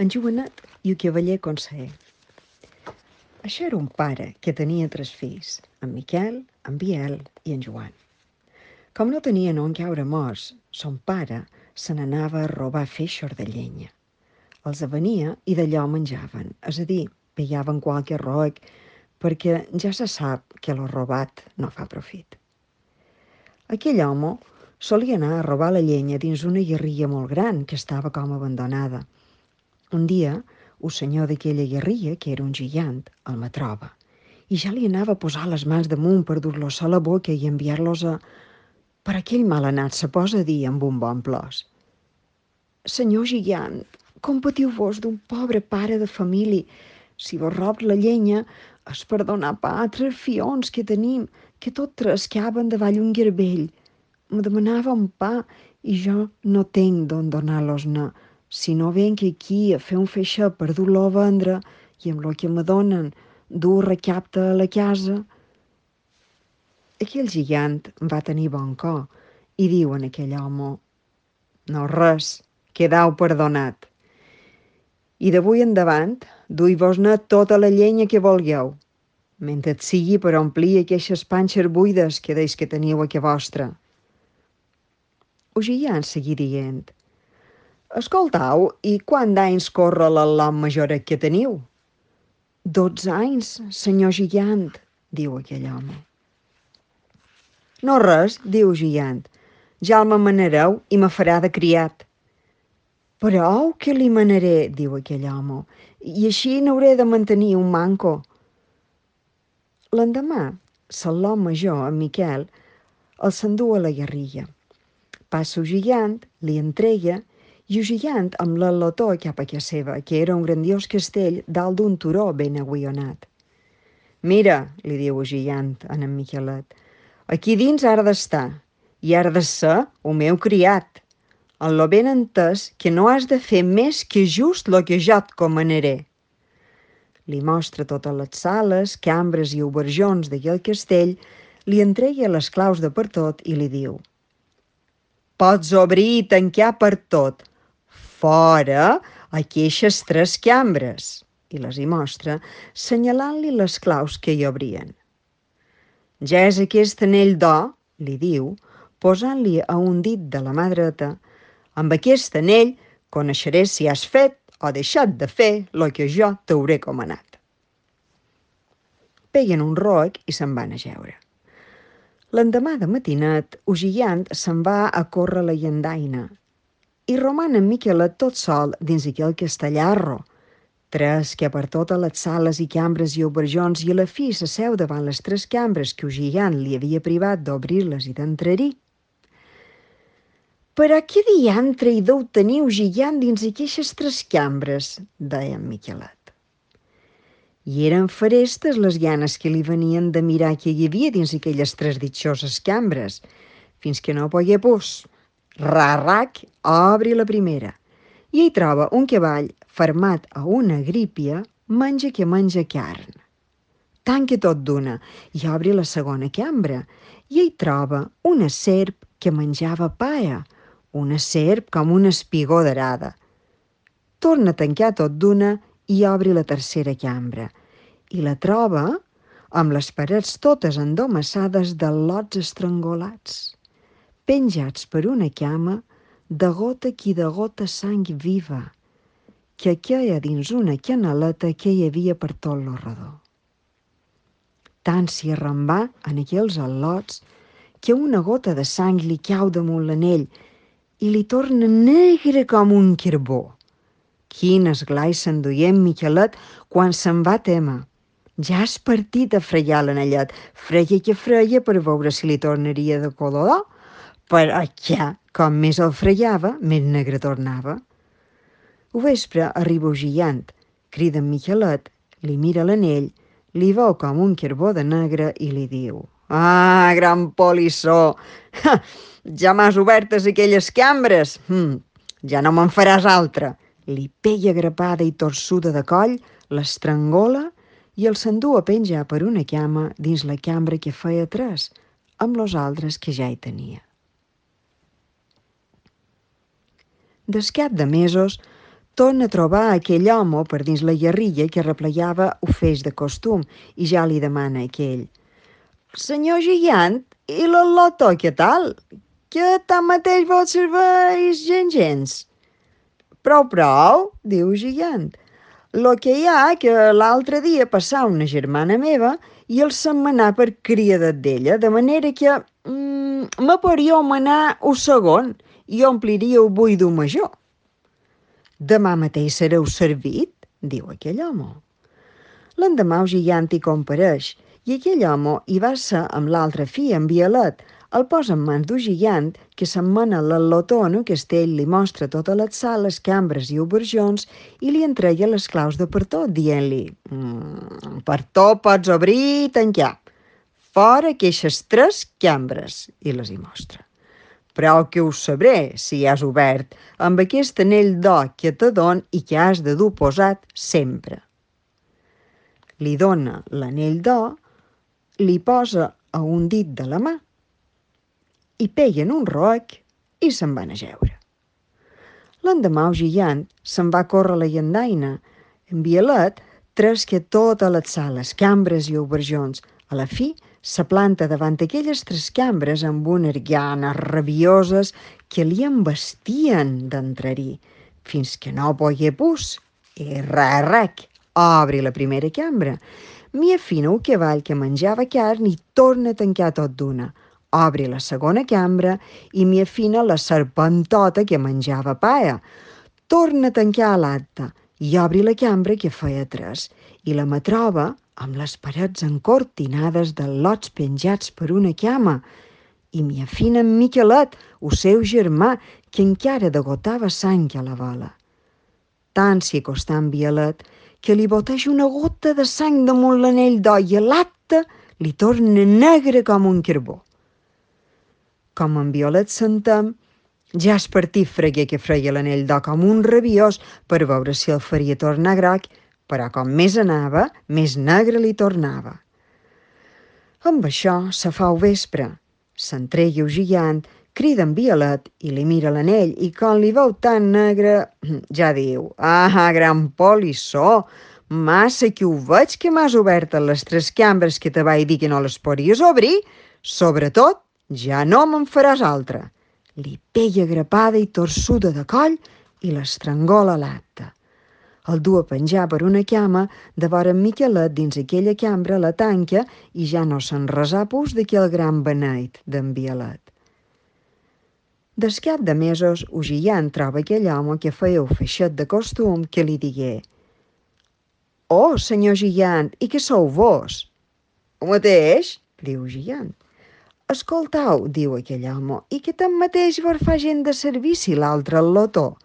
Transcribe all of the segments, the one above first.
en Joanet i el cavaller conseller. Això era un pare que tenia 3 fills, en Miquel, en Biel i en Joan. Com no tenien on caure morts, son pare se n'anava a robar feixos de llenya. Els avenia i d'allò menjaven, és a dir, pillaven qualque roec, perquè ja se sap que lo robat no fa profit. Aquell home solia anar a robar la llenya dins una guerrilla molt gran que estava com abandonada. Un dia, el senyor d'aquella guerrilla, que era un gigant, el me troba i ja li anava a posar les mans damunt per dur-los a la boca i enviar-los a... Per aquell mal anat se posa a dir amb un bon plors: «Senyor gigant, compatiu-vos d'un pobre pare de família. Si vos rob la llenya és per donar pa a 3 fions que tenim, que tot 3 caben davall un garbell. Me demanava un pa i jo no tenc d'on donar-los-ne. Si no venc aquí a fer un feixet per dur-lo a vendre i amb lo que me donen dur recapte a la casa». Aquell gigant va tenir bon cor i diu en aquell home: «No res, quedau perdonat. I d'avui endavant, dui-vos-ne tota la llenya que vulgueu, mentre et sigui per omplir aquestes panxes buides que deis que teniu a que vostra». El gigant seguí dient: «Escoltau, i quant d'anys corre l'al·lot majoret que teniu?» «12 anys, senyor gigant», diu aquell home. «No res», diu el gigant, «ja el me manareu i me farà de criat». «Prou que li manaré», diu aquell home, «i així n'hauré de mantenir un manco». L'endemà, l'al·lot major, en Miquel, el s'endú a la guerrilla. Passa el gigant, li entrega, i el gigant amb l'al·lotó cap a casa seva, que era un grandiós castell dalt d'un turó ben agullonat. «Mira», li diu el gigant a en Miquelet, «aquí dins has d'estar, i has de ser el meu criat, en lo ben entès que no has de fer més que just lo que jo et comanaré». Li mostra totes les sales, cambres i oberjons d'aquell castell, li entrega les claus de per tot i li diu: «Pots obrir i tancar per tot, fora aquestes 3 cambres», i les hi mostra, senyalant-li les claus que hi obrien. «Ja és aquest anell d'or», li diu, posant-li a un dit de la mà dreta, «amb aquest anell coneixeré si has fet o deixat de fer lo que jo t'hauré comanat». Peguen un roc i se'n van a jeure. L'endemà de matinet, el gigant se'n va a córrer la llandaina i roman en Miquelet tot sol dins aquell castellarro, 3 que per totes les sales i cambres i oberjons, i a la fi s'asseu davant les 3 cambres que el gigant li havia privat d'obrir-les i d'entrar-hi. «Però què diantre hi deu tenir el gigant dins aquestes 3 cambres?», deia en Miquelet. I eren ferestes les ganes que li venien de mirar què hi havia dins aquelles 3 ditxoses cambres, fins que no pogué pus. Rarrac, obri la primera, i hi troba un cavall fermat a una grípia, menja que menja carn. Tanca tot d'una i obri la segona cambra, i hi troba una serp que menjava paia, una serp com una espigó d'arada. Torna a tancar tot d'una i obri la tercera cambra, i la troba amb les parets totes endomassades d'al·lots estrangolats, penjats per una cama, de gota qui de gota sang viva, que queia dins una canaleta que hi havia per tot lo redó. Tant s'hi arrambà en aquells al·lots que una gota de sang li cau damunt l'anell i li torna negre com un carbó. Quin esglai s'enduia en Miquelet quan se'n va témer. Ja has partit a fregar l'anellet, freia que freia per veure si li tornaria de color d'or, però ja, com més el fregava, més negre tornava. Al vespre arriba el gigant, crida en Miquelet, li mira l'anell, li veu com un carbó de negre i li diu: «Ah, gran polissó! Ja m'has obertes aquelles cambres! Ja no me'n faràs altra!» Li pega grapada i torçuda de coll, l'estrangola i el s'endú a penjar per una cama dins la cambra que feia 3, amb los altres que ja hi tenia. Des cap de mesos torna a trobar aquell home per dins la guerrilla que replegava ho feix de costum i ja li demana aquell: «Senyor gegant, i l'al·lotó què tal? Que tanmateix vos serveix gens. Prou, diu gegant. Lo que hi ha que l'altre dia passà una germana meva i el se'n manà per criadet d'ella, de manera que me podríeu manar un segon i ompliríeu buido major. Demà mateix sereu servit, diu aquell home. L'endemà el gegant hi compareix i aquell home hi va ser amb l'altra fi, en Violet. El posa en mans d'un gegant que se'n mana l'al·lotó en un castell, li mostra totes les sales, cambres i oberjons i li entrega les claus de per tot, dient-li: «Per tot pots obrir i tancar. Fora queixes 3 cambres», i les hi mostra. «Però que ho sabré, si has obert, amb aquest anell d'or que te don i que has de dur posat sempre». Li dona l'anell d'or, li posa a un dit de la mà i peguen un roc i se'n van a jeure. L'endemà el gegant se'n va córrer la llandaina. En Violet tresca totes les sales, cambres i oberjons. A la fi, se planta davant aquelles 3 cambres amb unes ganes rabioses que li embestien d'entrar-hi, fins que no pogué pus. I rec, obri la primera cambra. M'hi afina un cavall que menjava carn i torna a tancar tot d'una. Obri la segona cambra i m'hi afina la serpentota que menjava paia. Torna a tancar l'altra i obri la cambra que feia 3 i la me troba amb les parets encortinades de lots penjats per una cama. I m'hi afina en Miquelet, el seu germà, que encara degotava sang a la bola. Tant s'hi acostà en Violet que li boteja una gota de sang damunt l'anell d'or i l'acte li torna negre com un carbó. Com en Violet s'entén, ja es partit freguer que freia l'anell d'or com un rabiós per veure si el faria tornar groc, però com més anava, més negre li tornava. Amb això se fa el vespre. S'entregui el gegant, crida en Violet i li mira l'anell i quan li veu tan negre ja diu: «Ah, gran polissó, massa que ho veig que m'has obert les 3 cambres que te vaig dir que no les podries obrir. Sobretot, ja no me'n faràs altra». Li pega grapada i torçuda de coll i l'estrangola a l'acte. El du a penjar per una cama, de vora en Miquelet dins aquella cambra la tanca i ja no se'n resà pus d'aquell gran beneit d'en Violet. Des cap de mesos, el gegant troba aquell home que feia el feixet de costum que li digué: «Oh, senyor gegant, i què sou vos?» «El mateix», diu el gegant. «Escoltau», diu aquell home, «i que tanmateix vos fa gent de servici l'altre al·lotó?»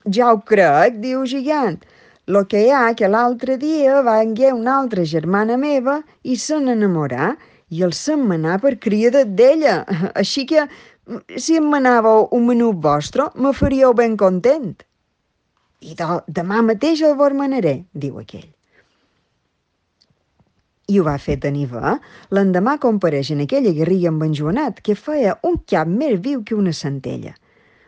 «Ja ho crec», diu el gegant. «Lo que hi ha que l'altre dia vengué una altra germana meva i se n'enamorà i el se'n manà per criadet d'ella. Així que, si em manàveu un menut vostre, me faríeu ben content». «I demà mateix el vos manaré», diu aquell. I ho va fer tenir bé. L'endemà compareix en aquella guerrilla amb en Joanet, que feia un cap més viu que una centella.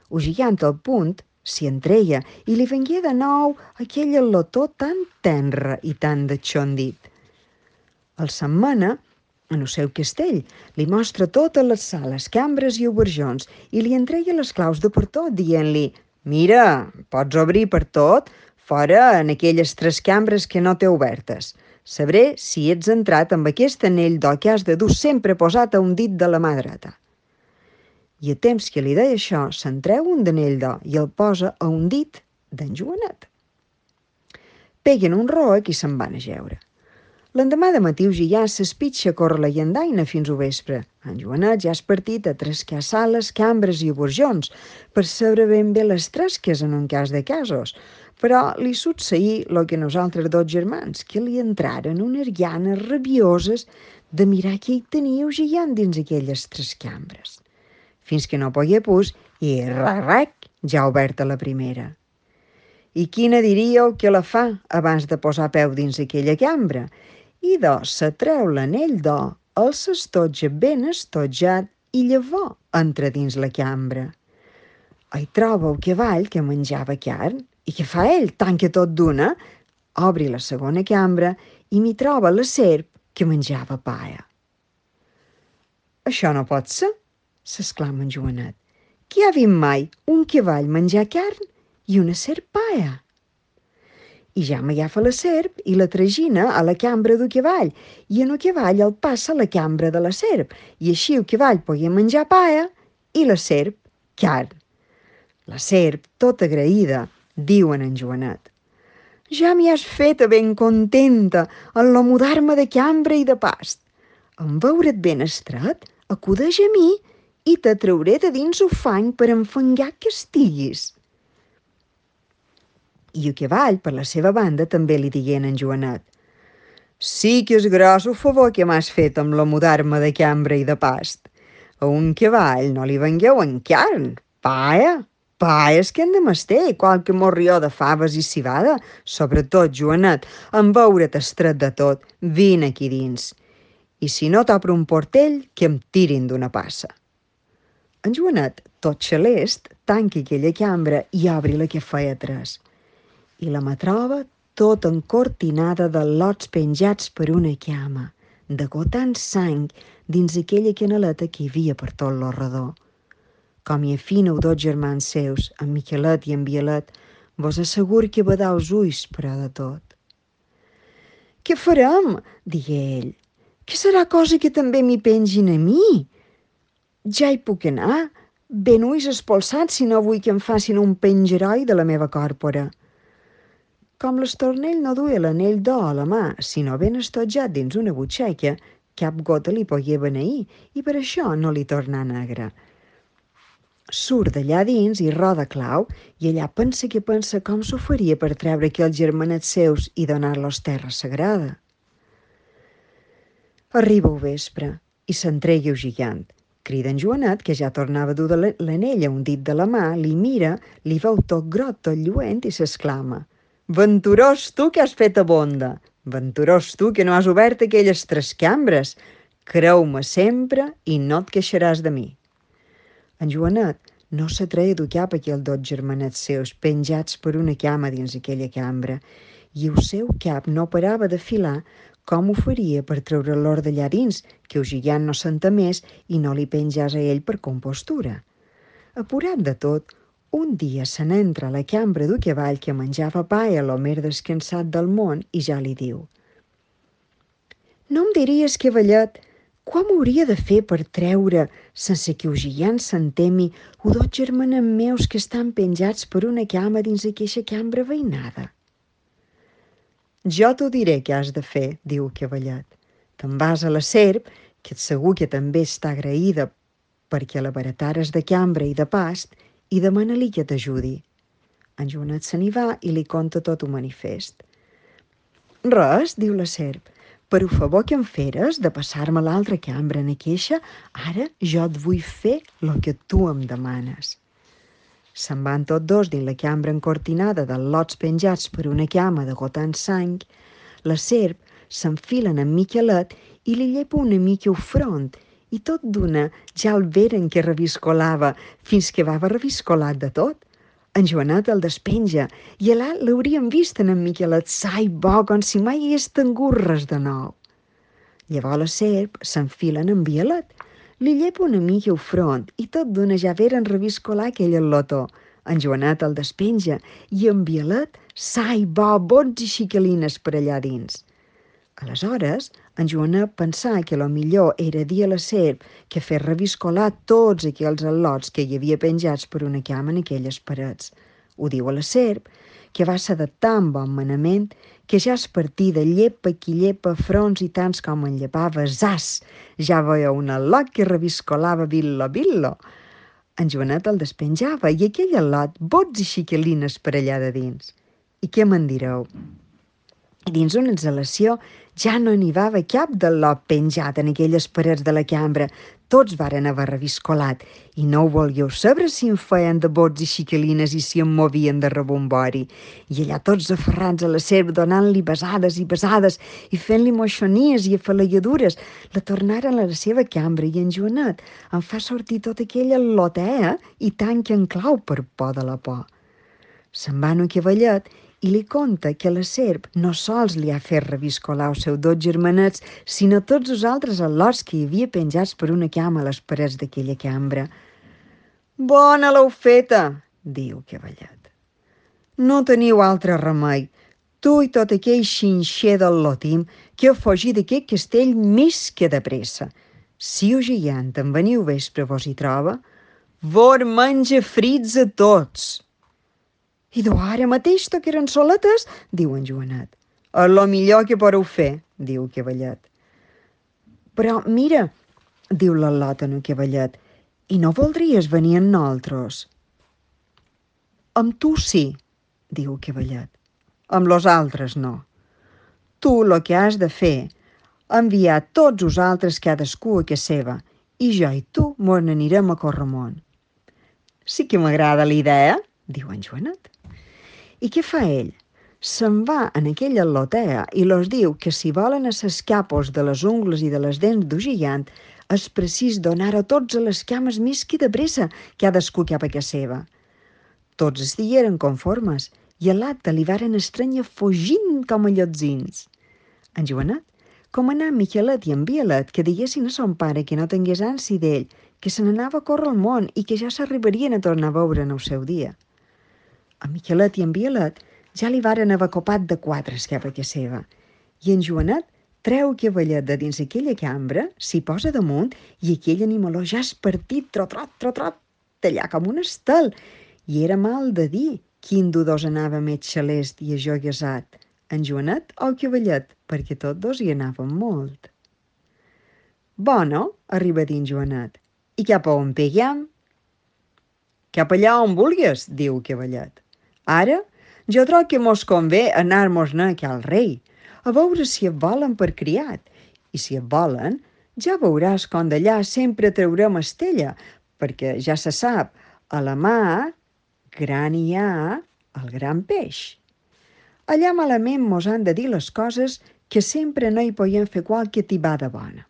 El gegant al punt s'hi entreia i li vengué de nou aquell al·lotó tan tenre i tan detxondit. El setmana, en el seu castell, li mostra totes les sales, cambres i oberjons i li entrega les claus de per tot, dient-li: «Mira, pots obrir per tot, fora en aquelles 3 cambres que no té obertes. Sabré si ets entrat amb aquest anell d'or que has de dur sempre posat a un dit de la mà dreta». I a temps que li deia això, se'n treu un d'anell d'or i el posa a un dit d'en Joanet. Peguen un roc i se'n van a jeure. L'endemà de matí el gegant s'espitxa a córrer la llandaina fins al vespre. En Joanet ja has partit a trescar sales, cambres i oberjons per saber ben bé les tresques en un cas de casos, però li succeí el que nosaltres 2 germans, que li entraren unes ganes rabioses de mirar què hi tenia el gegant dins aquelles 3 cambres. Fins que no pogué pus i rec, ja oberta la primera. I quina diríeu que la fa abans de posar peu dins aquella cambra? I se treu l'anell d'or, el s'estotja ben estotjat i llavors entra dins la cambra. Hi troba el cavall que menjava carn I què fa ell? Tanca tot d'una, obri la segona cambra i m'hi troba la serp que menjava paia. Això no pot ser, s'exclama en Joanet. Qui ha vist mai un cavall menjar carn i una serp paia? I ja m'agafa la serp i la tragina a la cambra del cavall i en el cavall el passa a la cambra de la serp i així el cavall podia menjar paia i la serp carn. La serp, tota agraïda, diu en Joanet: ja m'hi has feta ben contenta en lo mudar-me de cambra i de past. En veure't ben estret, acudeix a mi i te trauré de dins ufany per enfangar que estiguis. I el cavall, per la seva banda, també li digué en Joanet: sí que és gros el favor que m'has fet amb la mudar-me de cambra i de past. A un cavall no li vengueu en carn, paia. Paia és que en de mesté, qualque morrió de faves i cibada. Sobretot, Joanet, en veure't estret de tot, vine aquí dins. I si no t'opre un portell, que em tirin d'una passa. En Joanet, tot xalest, tanca aquella cambra i obri la que feia tres. I la troba tot encortinada de lots penjats per una cama, degotant sang dins aquella canaleta que hi havia per tot lo redó. Com hi afineu dos germans seus, en Miquelet i en Bielet, vos asseguro que badau els ulls, però de tot. Què farem? Digué ell. Que serà cosa que també m'hi pengin a mi? Ja hi puc anar, ben ulls espolsats si no vull que em facin un pengeroi de la meva còrpora. Com l'estornell no duia l'anell d'or a la mà, sinó ben estotjat dins una butxaca, cap gota li pogué beneir i per això no li tornà negre. Surt d'allà dins i roda clau i allà pensa que pensa com s'ho faria per treure aquells germanets seus i donar-los terra sagrada. Arriba el vespre i s'entregui el gigant. Crida en Joanet, que ja tornava a dur l'anell a un dit de la mà, li mira, li veu tot grot, tot lluent i s'exclama: venturós tu que has fet a bonda! Venturós tu que no has obert aquelles tres cambres! Creu-me sempre i no et queixaràs de mi. En Joanet no s'atreia dur cap aquells dos germanets seus penjats per una cama dins aquella cambra i el seu cap no parava de filar com ho faria per treure-l'or d'allà dins, que el gigant no s'entemés i no li penjàs a ell per compostura. Apurat de tot, un dia se n'entra a la cambra d'un cavall que menjava pa a lo mer descansat del món i ja li diu: no em diries, cavallet, com hauria de fer per treure, sense que el gigant s'entemi, o dos germanets meus que estan penjats per una cama dins aqueixa cambra veïnada? Jo t'ho diré què has de fer, diu el cavallet. Te'n vas a la serp, que et segur que també està agraïda perquè la baratares de cambra i de past, i demana-li que t'ajudi. En Joanet se n'hi va i li conta tot un manifest. Res, diu la serp, per el favor que em feres de passar-me a l'altra cambra en aqueixa, ara jo et vull fer el que tu em demanes. Se'n van tots dos dins la cambra encortinada de lots penjats per una cama degotant sang. La serp s'enfilen en Miquelet i li llepa una mica el front i tot d'una ja el veren que reviscolava fins que va reviscolat de tot. En Joanet el despenja i allà l'haurien vist en Miquelet sa i bo com si mai hagués tingut res de nou. Llavors la serp s'enfila en Bielet, li llepa una mica el front i tot d'una ja veren reviscolar aquell al·lotó. En Joanet el despenja i en Bielet sa i bo bots i xicalines per allà dins. Aleshores, en Joanet pensà que lo millor era dir a la serp que fes reviscolar tots aquells al·lots que hi havia penjats per una cama en aquelles parets. Ho diu a la serp, que va ser de tan bon manament que ja es partí de llepa qui llepa fronts i tants com en llepava, zas! Ja veia un al·lot que reviscolava billo. En Joanet el despenjava i aquell al·lot bots i xicalines per allà de dins. I què me'n direu? I dins una exhalació ja no n'hi va cap del lot penjat en aquelles parets de la cambra. Tots varen haver reviscolat i no ho volgueu saber si en feien de bots i xicalines i si en movien de rebombori. I allà tots aferrats a la serp donant-li besades i besades i fent-li moixonies i afalagadures, la tornaren a la seva cambra i en Joanet en fa sortir tot aquell al·lot i tanca en clau per por de la por. Se'n va en un cavallet i li conta que la serp no sols li ha fet reviscolar els seus dos germanets, sinó tots els altres al·lots que hi havia penjats per una cama a les parets d'aquella cambra. «Bona l'heu feta», diu el cavallet. «No teniu altre remei, tu i tot aquell xinxer del lotim, que heu fugit d'aquest castell més que de pressa. Si el gegant en veniu vespre vos hi troba, vos menja frits a tots». «I ara mateix toqueren soletes», diu en Joanet. «És lo millor que podeu fer», diu el cavallet. «Però mira», diu l'al·lot en el cavallet, «i no voldries venir amb nosaltres?» «Amb tu sí», diu el cavallet. «Amb los altres no. Tu lo que has de fer, enviar tots els altres cadascú a casa seva, i jo i tu mos n'anirem a Corramont». «Sí que m'agrada la idea», diu en Joanet. I què fa ell? Se'n va en aquella al·lotea i los diu que si volen a ses capos de les ungles i de les dents d'un gegant és precís donar a tots a les cames més que de pressa, cadascú cap a casa seva. Tots es digueren conformes i a l'acte li varen estranyar fugint com a llotzins. En Joanet comanà a Miquelet i en Bielet que diguessin a son pare que no tingués ansi d'ell, que se n'anava a córrer al món i que ja s'arribarien a tornar a veure en el seu dia. En Miquelet i en Bielet ja li varen haver copat de quatre cap a casa seva, i en Joanet treu el cavallet de dins aquella cambra, s'hi posa damunt, i aquell animaló ja és partit, trot, d'allà com un estel, i era mal de dir quin de dos anava més xalest i ajoguesat, en Joanet o el cavallet, perquè tots dos hi anaven molt. «Bueno», arriba a dir en Joanet, «i cap a on peguem?» «Cap allà on vulgues», diu el cavallet. «Ara, jo trobo que mos convé anar-mos-ne a cal rei, a veure si et volen per criat, i si et volen, ja veuràs com d'allà sempre traurem estella, perquè ja se sap, a la mar gran hi ha el gran peix. Allà malament mos han de dir les coses que sempre no hi podem fer qualque tibada bona».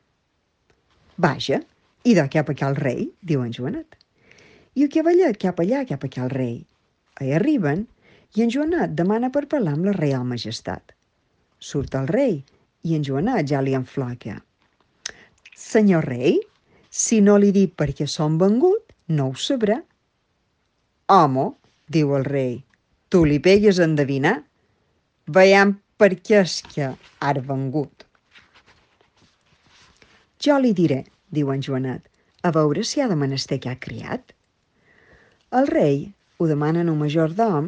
«Vaja, i de cap a cal rei», diu en Joanet. I el cavallet cap allà, cap a cal rei. Hi arriben i en Joanet demana per parlar amb la Reial Majestat. Surt el rei i en Joanet ja li enfloca. «Senyor rei, si no li dic per què som vengut, no ho sabrà». «Home», diu el rei, «tu li pegues a endevinar. Veiem per què és que has vengut». «Jo li diré», diu en Joanet, «a veure si ha de menester que ha criat». El rei ho demana a un majordom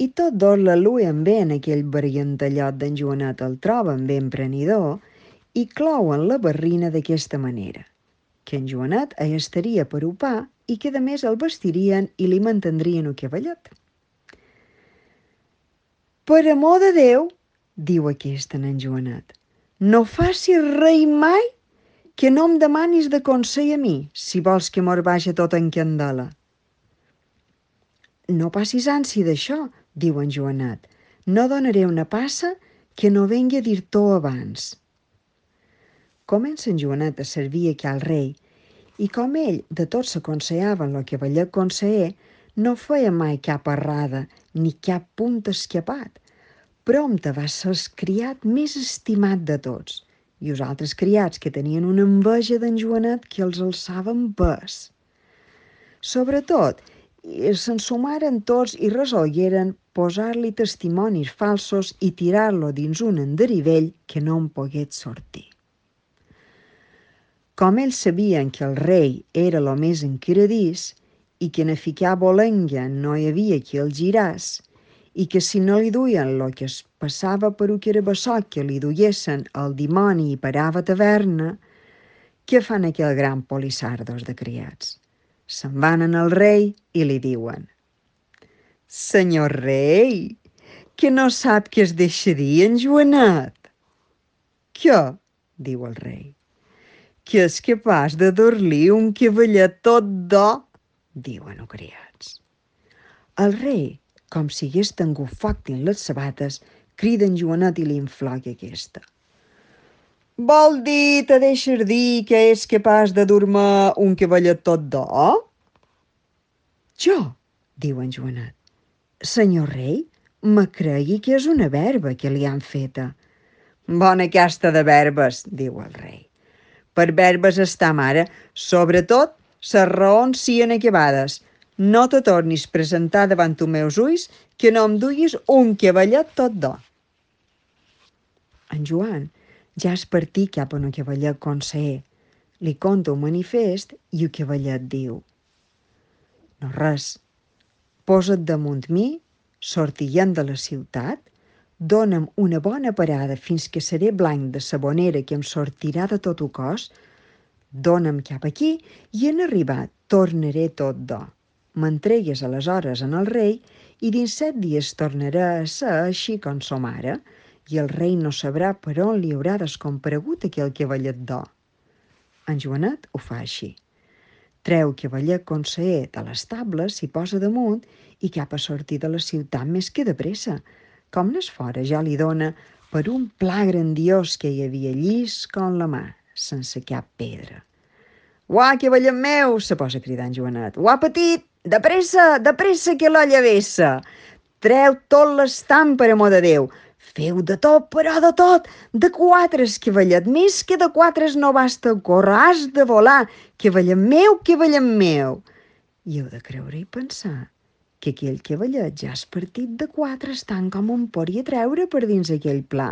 i tots dos l'aluen bé en aquell barrientallot d'en Joanet, el troben ben prenidor i clouen la barrina d'aquesta manera, que en Joanet hi estaria per upar i que a més el vestirien i li mantendrien el cavallet. «Per amor de Déu», diu aquest en Joanet, «no facis rei mai que no em demanis de consell a mi, si vols que mos vagi tot en candela». «No passis ansi d'això», diu en Joanet, «no donaré una passa que no vengui a dir-t'ho abans». Comença en Joanet a servir a cal rei, i com ell de tot s'aconsellava en el cavallet conseller, no feia mai cap errada ni cap punt escapat. Prompte va ser el criat més estimat de tots, i els altres criats que tenien una enveja d'en Joanet que els alçaven pes. Sobretot, se'n sumaren tots i resolgueren posar-li testimonis falsos i tirar-lo dins un enderivell que no en pogués sortir. Com ells sabien que el rei era lo més encaradís i que en a ficar bolenga no hi havia qui el giràs, i que si no li duien lo que es passava per un carabassot que li duiesen el dimoni i parava a taverna, què fan aquell gran polissardos de criats? Se'n van en el rei i li diuen: «Senyor rei, que no sap què es deixa dir en Joanet?» «Què?» diu el rei. «Que és capaç de dur-li un cavallet tot d'or», diuen els criats. El rei, com si hagués tingut foc dins les sabates, crida en Joanet i li enfloca aquesta. «Vol dir, te deixes dir que és capaç de dur-me un cavallet tot d'or?» «Jo», diu en Joanet, Senyor rei, me cregui que és una verba que li han feta. Bona casta de verbes, diu el rei. Per verbes està mare, sobretot ses raons sien acabades. No te tornis presentar davant els meus ulls que no em duguis un cavallet tot d'or. En Joan ja es partí cap a un cavallet conseller. Li conta un manifest i el cavallet diu: no res, posa't damunt mi, sortiguem de la ciutat, dona'm una bona parada fins que seré blanc de sabonera que em sortirà de tot el cos, dona'm cap aquí i en arribar tornaré tot d'or. M'entregues aleshores en el rei i dins 7 dies tornarà a ser així com som ara, i el rei no sabrà per on li haurà descomparegut aquell cavallet d'or. En Joanet ho fa així. Treu cavallet conseller de l'estable, s'hi posa damunt i cap a sortir de la ciutat més que de pressa. Com n'és fora ja li dona per un pla grandiós que hi havia llis com la mà, sense cap pedra. «Uà, cavallet meu!» se posa a cridar en Joanet. «Uà, petit! De pressa, que l'olla vessa! Treu tot l'estam, per amor de Déu! Feu de tot, però de tot! De 4, cavallet, més que de 4 no basta córrer, has de volar! Cavallet meu, cavallet meu!» I heu de creure i pensar que aquell cavallet ja és partit de 4 tant com en podia treure per dins aquell pla.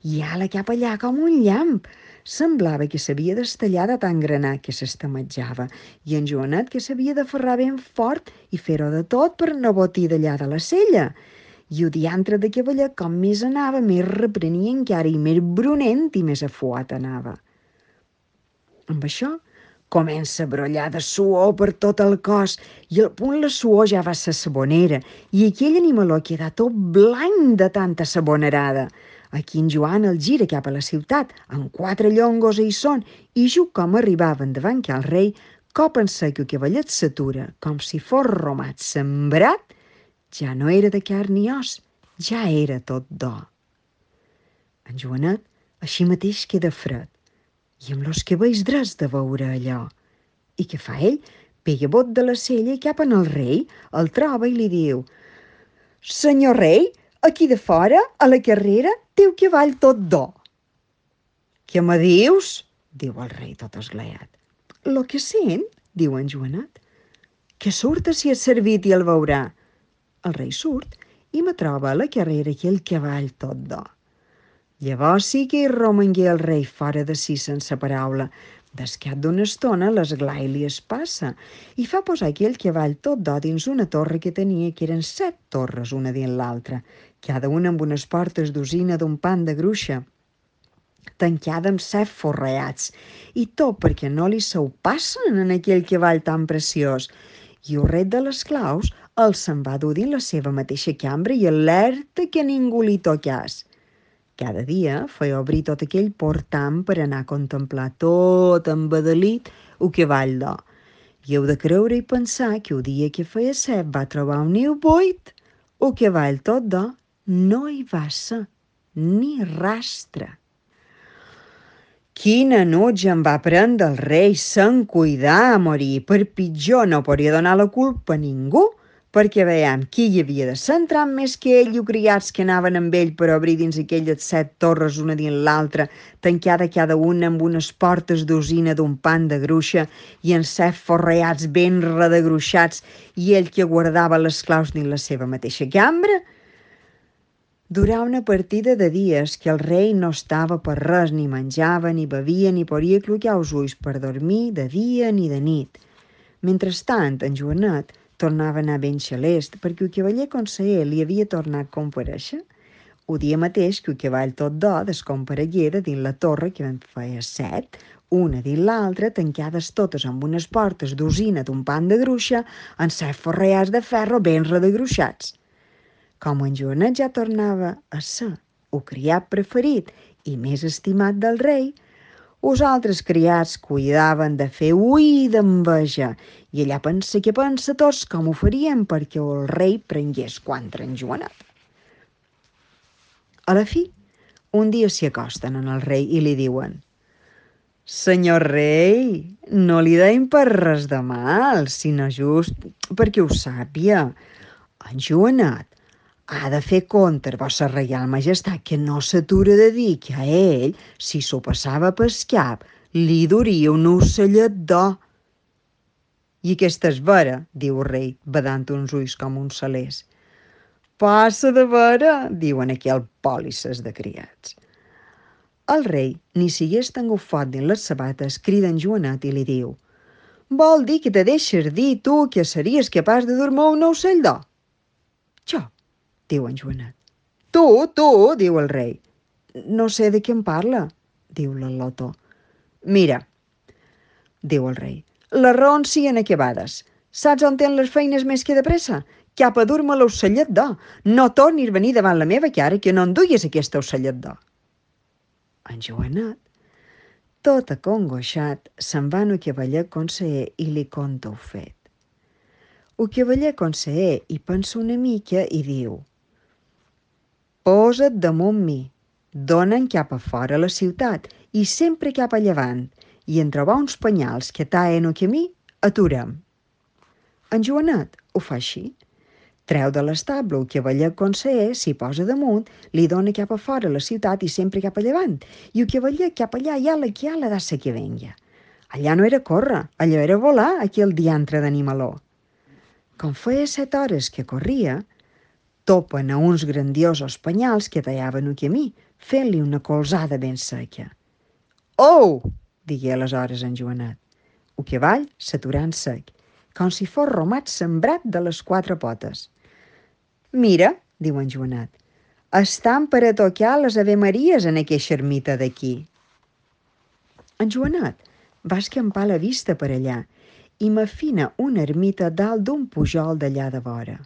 I ala cap allà com un llamp. Semblava que s'havia d'estallar de tan granat que s'estamejava, i en Joanet que s'havia d'aferrar ben fort i fer-ho de tot per no botir d'allà de la sella. I el diantre de cavallet, com més anava, més reprenia encara i més brunent i més afuat anava. Amb això comença a brollar de suor per tot el cos i al punt la suor ja va ser sabonera i aquell animaló queda tot blanc de tanta sabonerada. Aquí en Joan el gira cap a la ciutat, amb 4 llongos hi són, i just com arribaven davant que el rei, cop en sec el cavallet s'atura, com si fos romat sembrat, ja no era de carn ni os, ja era tot d'or. En Joanet així mateix queda fred, i amb los cabells drets de veure allò. I què fa ell? Pega bot de la sella i cap en el rei, el troba i li diu: «Senyor rei, aquí de fora, a la carrera, té el cavall tot d'or». «Què me dius?», diu el rei tot esglaiat. «Lo que sent», diu en Joanet, «que surta si és servit i el veurà». El rei surt i me troba a la carrera aquí el cavall tot d'or. Llavors sí que hi romangué el rei fora de si sense paraula. D'escat d'una estona l'esglai li es passa i fa posar aquell cavall tot d'or dins una torre que tenia, que eren 7 torres una dins l'altra, cada una amb unes portes d'usina d'un pan de gruixa, tancada amb 7 forrellats, i tot perquè no li se ho passen en aquell cavall tan preciós. I el rei de les claus el se'n va dur dins la seva mateixa cambra i alerta que ningú li tocàs. Cada dia feia obrir tot aquell portam per anar a contemplar tot embadalit el cavall d'or. I heu de creure i pensar que el dia que feia set va trobar un niu buit, el cavall tot d'or no hi va ser ni rastre. Quina nutja em va prendre el rei, se'n cuidar a morir. Per pitjor no podia donar la culpa a ningú, perquè veiem qui hi havia de centrar més que ell i els criats que anaven amb ell per obrir dins aquelles 7 torres una dins l'altra, tancada cada una amb unes portes d'usina d'un pan de gruixa i en 7 forrellats ben redegruixats, i ell que guardava les claus dins la seva mateixa cambra. Durà una partida de dies que el rei no estava per res, ni menjava, ni bevia, ni podia clocar els ulls per dormir de dia ni de nit. Mentrestant, en Joanet tornava a anar ben xalest, perquè el cavaller conseller li havia tornat a comparèixer. El dia mateix que el cavall tot d'or descomparegué de dins la torre, que en feia 7, una dins l'altra, tancades totes amb unes portes d'usina d'un pan de gruixa, en 7 forrellats de ferro ben redegruixats. Com en Joanet ja tornava a ser el criat preferit i més estimat del rei, els altres criats cuidaven de fer ui d'enveja, i allà pensa que pensa tots com ho farien perquè el rei prengués contra en Joanet. A la fi, un dia s'hi acosten en el rei i li diuen: «Senyor rei, no li deim per res de mal, sinó just perquè ho sàpia. En Joanet ha de fer compte, vostra reial majestat, que no s'atura de dir que a ell, si s'ho passava pel cap, li duria un ocellet d'or. I aquesta és vera, diu el rei, badant uns ulls com un salers. Passa de vera, diuen aquell pòlisses de criats. El rei, ni sigués tan gofat dins les sabates, crida en Joanet i li diu: «Vol dir que te deixes dir tu que series capaç de dormir un ocell d'or?» «Jo», diu en Joanet. Tu, diu el rei. «No sé de què em parla», diu l'al·lotó. «Mira», diu el rei, «les raons siguin acabades. Saps on tenen les feines més que de pressa? Cap a dur-me l'ocellet d'or. No tornis a venir davant la meva cara que no enduguis aquest ocellet d'or». En Joanet, tot acongoixat, se'n va al cavaller conseller i li conta el fet. El cavaller conseller hi pensa una mica i diu: «Posa't damunt mi, dona'n cap a fora la ciutat i sempre cap a llevant, i en trobar uns penyals que taen el camí, aturem». En Joanet ho fa així. Treu de l'estable el cavaller conseller, s'hi posa damunt, li dona cap a fora la ciutat i sempre cap a llevant, i el cavaller cap allà i ala que ala d'assa que venga. Allà no era córrer, allò era volar, aquell diantre d'animaló. Com feia 7 hores que corria, topen a uns grandiosos penyals que tallaven el camí, fent-li una colzada ben seca. «Oh!», digué aleshores en Joanet. El cavall s'aturà en sec, com si fos romat sembrat de les 4 potes. «Mira», diu en Joanet, «estan per a tocar les avemaries en aquesta ermita d'aquí». En Joanet va escampar la vista per allà i m'afina una ermita dalt d'un pujol d'allà de vora.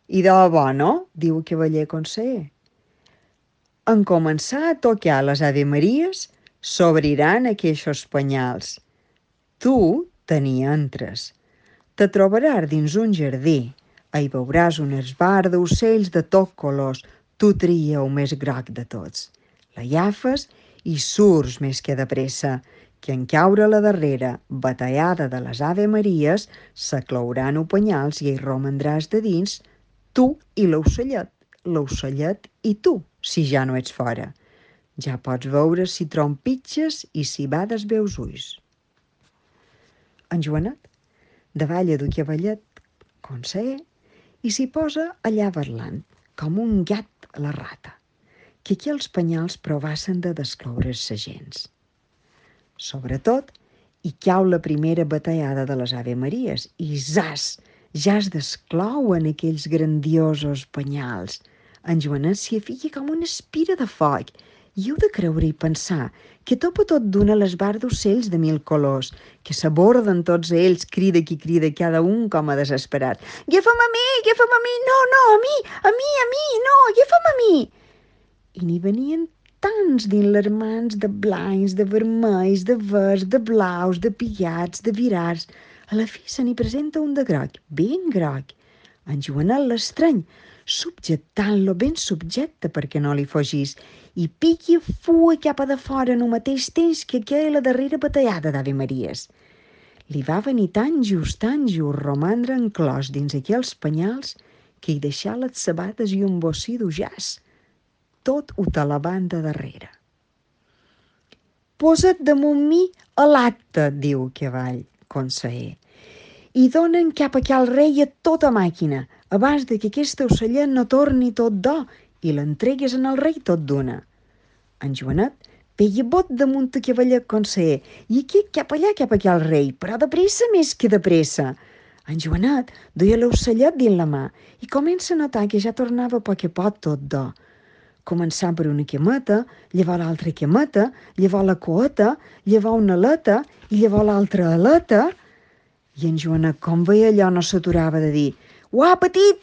«I de bo, no?», diu el cavaller conseller. En començar a tocar les avemaries, s'obriran aquests penyals. Tu te n'hi entres. Te trobaràs dins un jardí. Hi veuràs un esbar d'ocells de tot colors. Tu tria el més groc de tots. L'agafes i surts més que de pressa, que en caure a la darrera batallada de les avemaries s'aclouran els penyals i hi romandràs de dins tu i l'ocellet i tu, si ja no ets fora. Ja pots veure si trompitges i si bades bé els ulls. En Joanet davalla du cavallet conseller i s'hi posa allà parlant, com un gat a la rata, que aquí els penyals provassen de descloure's-se gens. Sobretot, hi cau la primera batallada de les avemaries i zas, ja es desclouen aquells grandiosos penyals. En Joanet s'hi fica com una espira de foc i heu de creure i pensar que topa tot d'una l'esbar d'ocells de 1000 colors, que s'aborden tots ells, crida qui crida, cada un com a desesperat. Agafa'm a mi, no, a mi, no, agafa'm a mi. I n'hi venien tants dins les mans, de blancs, de vermells, de verds, de blaus, de pillats, de virats. A la fi se n'hi presenta un de groc, ben groc. En Joanet l'estrany, subjectant-lo ben subjecte perquè no li fugís, i piqui fua cap a de fora en el mateix temps que aquella la darrera batallada d'avemaries. Li va venir tan just romandre enclòs dins aquells penyals que hi deixà les sabates i un bocí d'ujàs, tot ho te la banda darrere. «Posa't damunt mi a l'acte», diu el cavall conseller, «i donen cap a aquell rei a tota màquina, abans de que aquest ocellet no torni tot d'or i l'entregues en el rei tot d'una». En Joanet peia bot damunt el cavaller conseller i aquí cap allà cap a aquell rei, però de pressa més que de pressa. En Joanet duia l'ocellet dins la mà i comença a notar que ja tornava a poc a poc tot d'or. Començar per una cameta, llavors l'altra cameta, llavors la coeta, llavors una aleta i llavors l'altra aleta. I en Joanet, com veia allò, no s'aturava de dir: «Ho ha patit,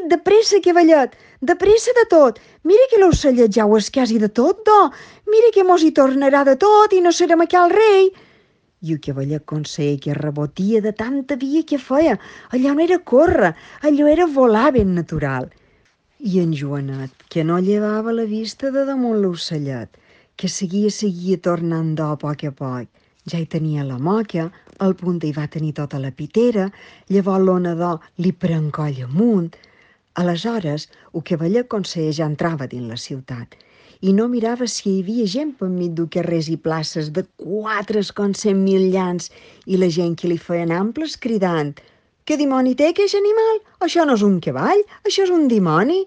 de pressa, cavallet, de pressa de tot. Mira que l'ocellet ja ho és quasi de tot, do. Mira que mos hi tornarà de tot i no serem aquí al rei». I el cavaller conseller que rebotia de tanta via que feia. Allò no era córrer, allò era volar ben natural. I en Joanet, que no llevava la vista de damunt l'ocellet, que seguia tornant d'or a poc, ja hi tenia la moca, Al punt hi va tenir tota la pitera, llavors l'onador li pren coll amunt. Aleshores, el cavaller conseller ja entrava dins la ciutat i no mirava si hi havia gent per mig de carrers i places de 400.000 llans i la gent que li feien amples cridant: «Què dimoni té aquest animal? Això no és un cavall, això és un dimoni!»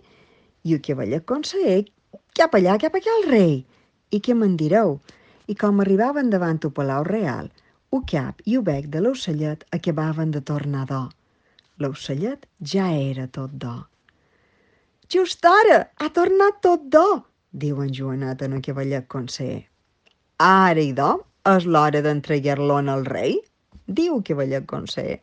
I el cavaller conseller, cap allà, cap aquí al rei. I què me'n direu? I com arribaven davant el Palau Real, el cap i el bec de l'ocellet acabaven de tornar d'or. L'ocellet ja era tot d'or. «Just ara, ha tornat tot d'or», diu en Joanet en el cavallet conseller. «Ara, idò, és l'hora d'entregar-lo al rei», diu el cavallet conseller.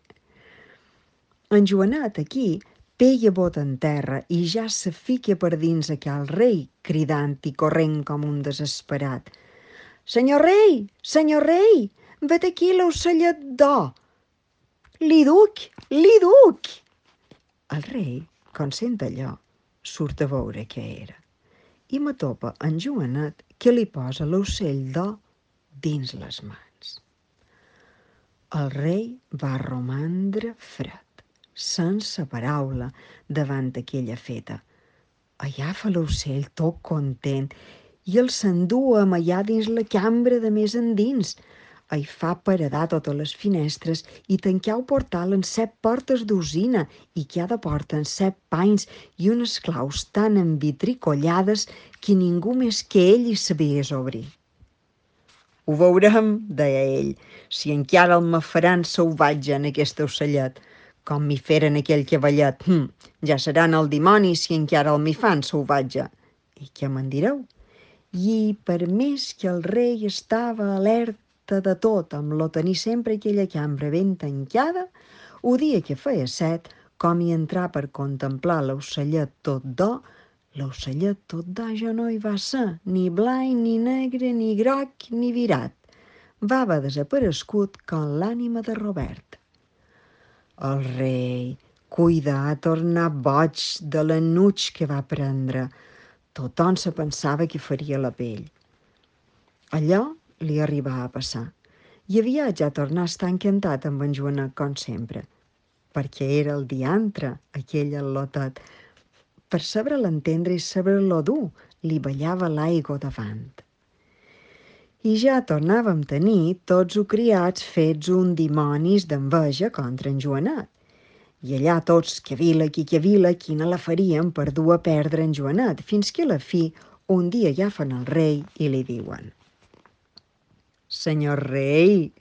En Joanet aquí pega bot en terra i ja se fica per dins aquell rei, cridant i corrent com un desesperat. Senyor rei, vet aquí l'ocellet d'or. Li duc! El rei, conscient d'allò, surt a veure què era i m'atopa en Joanet que li posa l'ocell d'or dins les mans. El rei va romandre fred, sense paraula, davant aquella feta. Agafa l'ocell tot content i el s'endú allà dins la cambra de més endins. Hi fa paredar totes les finestres i tancar el portal en 7 portes d'usina i cada porta en 7 panys i unes claus tan envitricollades que ningú més que ell hi sabia obrir. «Ho veurem», deia ell, «si encara el me faran salvatge en aquest ocellet, com m'hi feren aquell cavallet. Ja seran el dimoni si encara el m'hi fan salvatge». I què me'n direu? I per més que el rei estava alerta de tot, amb lo tenir sempre aquella cambra ben tancada, el dia que feia 7, com hi entrar per contemplar l'ocellet tot d'or, l'ocellet tot d'or ja no hi va ser, ni blanc, ni negre, ni groc, ni virat. Va haver desaparegut com l'ànima de Robert. El rei, cuida, ha tornat boig de l'enuig que va prendre. Tothom se pensava que faria la pell. Allò li arribava a passar. I aviat ja tornà a estar encantat amb en Joanet com sempre, perquè era el diantre, aquell al·lotet. Per saber l'entendre i saber-lo dur, li ballava l'aigua davant. I ja tornàvem a tenir tots els criats fets un dimonis d'enveja contra en Joanet. I allà tots, que vila, quina la farien per dur a perdre en Joanet, fins que a la fi un dia agafen el rei i li diuen: «Senyor rei,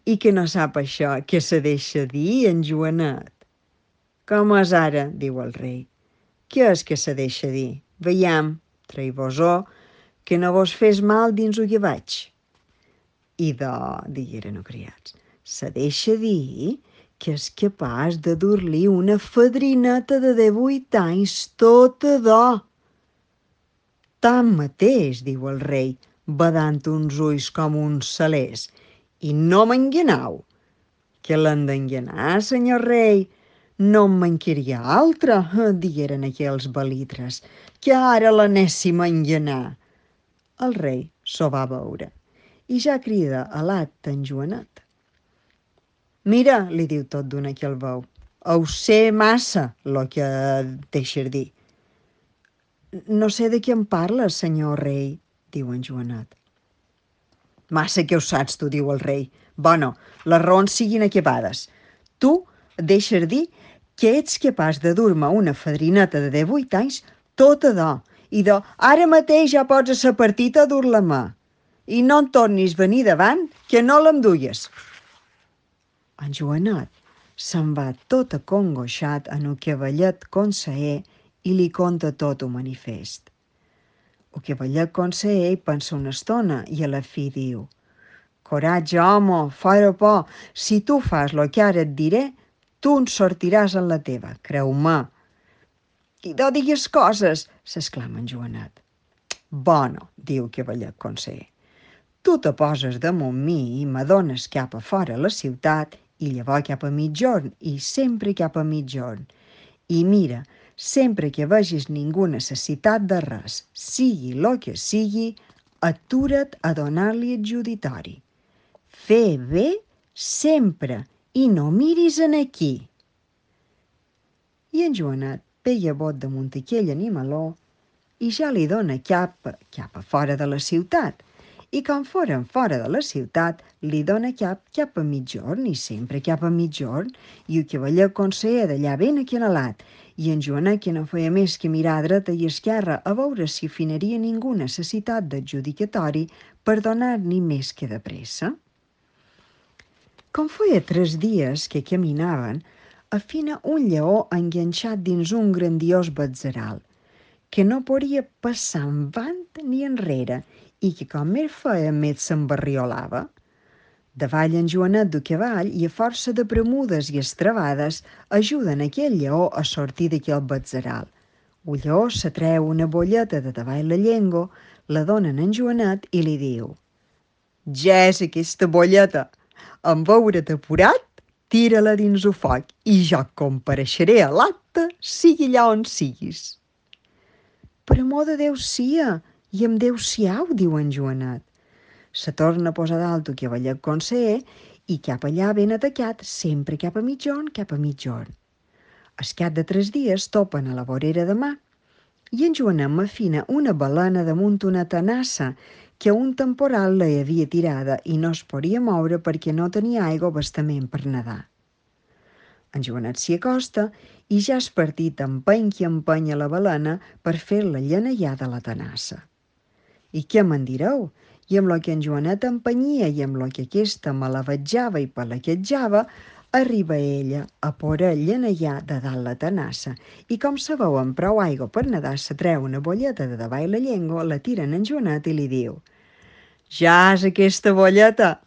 i que no sap això, que se deixa dir en Joanet?» «Com és ara?», diu el rei. «Què és que se deixa dir? Veiam, traï-vos-ho, que no vos fes mal dins el que vaig». «Idò», digueren els criats, «se deixa dir que és capaç de dur-li una fadrineta de 18 anys tota d'or». «Tanmateix», diu el rei, badant uns ulls com uns salers, «i no m'enganau». «Que l'han d'enganar, senyor rei? No en mancaria altra», digueren aquells belitres, «que ara l'anéssim a enganar». El rei s'ho va veure i ja crida a l'at en Joanet. «Mira», li diu tot d'una aquell veu, «ho sé massa, lo que deixes dir». «No sé de què em parles, senyor rei», diu en Joanet. «Massa que ho saps tu», diu el rei. «Bueno, les raons siguin acabades. Tu deixes dir que ets capaç de dur-me una fadrineta de 18 anys tota d'or, i ara mateix ja pots a sa partita a dur-la a mà. I no en tornis venir davant, que no l'emduies». En Joanet se'n va tot acongoixat en el cavallet conseller i li conta tot el manifest. El cavallet conseller hi pensa una estona i a la fi diu: «Coratge, home, fora por, si tu fas lo que ara et diré, tu en sortiràs en la teva, creu-me». «I no digues coses», s'exclama en Joanet. «Bueno», diu el cavallet conseller, «tu te poses damunt mi i m'adones cap a fora la ciutat i llavors cap a mitjorn i sempre cap a mitjorn. I mira, sempre que vegis ningú necessitat de res, sigui lo que sigui, atura't a donar-li adjuditori. Fer bé sempre, i no miris en aquí. I en Joanet veia bot damunt aquell animaló i ja li dona cap a fora de la ciutat. I com foren fora de la ciutat, li dona cap a mitjorn, i sempre cap a mitjorn, i el cavaller conseller d'allà ben aquinalat, i en Joanet que no feia més que mirar a dreta i esquerra a veure si finaria ningú necessitat d'adjudicatori per donar-n'hi més que de pressa. Com feia 3 dies que caminaven, afina un lleó enganxat dins un grandiós batzeral, que no podia passar avant ni enrere i que com més feia més s'embarriolava. Davall en Joanet du cavall i a força de premudes i estrabades ajuden aquell lleó a sortir d'aquell batzeral. El lleó se treu una bolleta de davall la llengua, la donen en Joanet i li diu: «Ja és aquesta bolleta. En veure't apurat, tira-la dins el foc i jo compareixeré a l'acte, sigui allà on siguis». «Per amor de Déu sia, i amb Déu siau», diu en Joanet. Se torna a posar dalt el cavaller conseller i cap allà ben atacat, sempre cap a mitjorn, cap a mitjorn. Al cap de 3 dies topen a la vorera de mar i en Joanet m'afina una balena damunt una tenassa que un temporal la havia tirada i no es podia moure perquè no tenia aigua bastament per nedar. En Joanet s'hi acosta i ja és partit empeny qui empenya la balena per fer-la llanellar de la tenassa. I què me'n direu? I amb lo que en Joanet empenyia i amb lo que aquesta malavatjava i palaquetjava, arriba ella a poder llanellar de dalt la tenassa i com se veu amb prou aigua per nedar, se treu una bolleta de davall la llengua, la tira en Joanet i li diu: «Ja és aquesta bolleta.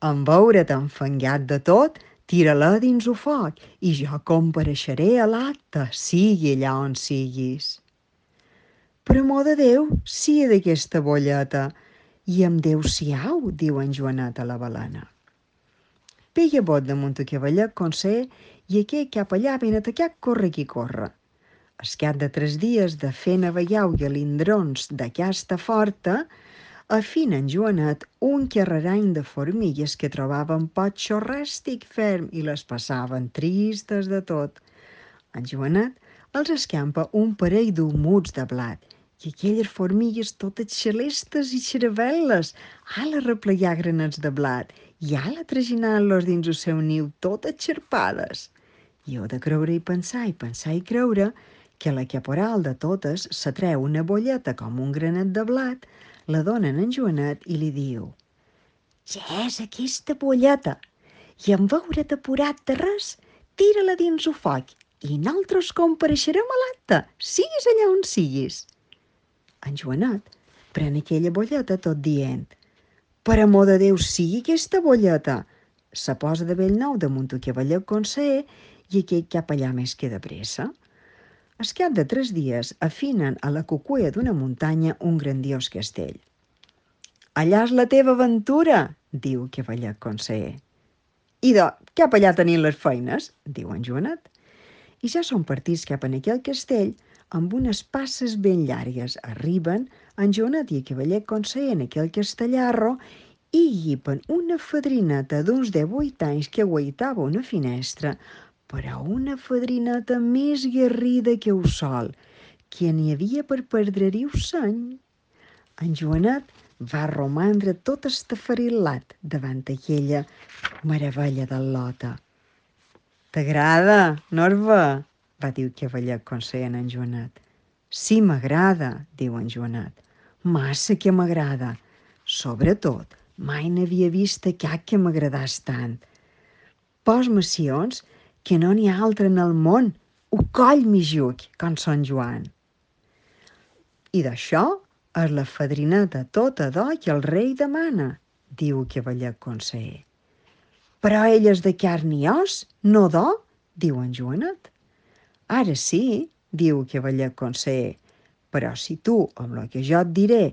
En veure't enfangat de tot, tira-la dins el foc i jo compareixeré a l'acte, sigui allà on siguis». «Per amor de Déu, sia d'aquesta bolleta, i amb Déu siau», diu en Joanet a la balena. Veia bot damunt el cavaller conseller i aquell cap allà ben atacat corre qui corre. Al cap de 3 dies de fer navallau i alindrons d'aquesta forta, afina en Joanet un carrerany de formigues que trobaven pot xorràstic ferm i les passaven tristes de tot. En Joanet els escampa un parell d'humuts de blat i aquelles formigues totes xalestes i xaravel·les, ala replegar granets de blat i ala traginant-los dins el seu niu totes xarpades. I heu de creure i pensar i creure que la caporal de totes se treu una bolleta com un granet de blat, la donen en Joanet i li diu: «Ja és aquesta bolleta, i en veure't apurat de res, tira-la dins el foc i nosaltres compareixerem a l'acte, siguis allà on siguis». En Joanet pren aquella bolleta tot dient: «Per amor de Déu, sigui aquesta bolleta». Se posa de bell nou damunt el cavaller conseller i aquell cap allà més que de pressa. Al cap de 3 dies afinen a la cucuia d'una muntanya un grandiós castell. «Allà és la teva aventura», diu el cavaller conseller. «Idò, cap allà tenim les feines», diu en Joanet. I ja són partits cap en aquell castell amb unes passes ben llargues. Arriben en Joanet i el cavaller conseller en aquell castellarro i llipen una fadrineta d'uns 18 anys que aguaitava una finestra, però una fadrineta més guerrida que el sol, que n'hi havia per perdre-hi el seny. En Joanet va romandre tot estafarit-lat davant aquella meravella del lota. «T'agrada, Norva?», va dir el cavaller conseller en Joanet. «Sí, m'agrada», diu en Joanet. «Massa que m'agrada. Sobretot, mai n'havia vist cap que m'agradàs tant. Pos-me sions que no n'hi ha altre en el món, ho coll mi juc, com Sant Joan». «I d'això és la fadrineta tota d'or que el rei demana», diu el cavaller conseller. «Però ell és de carn i os, no d'or», diu en Joanet. «Ara sí», diu el cavaller conseller, «però si tu, amb el que jo et diré,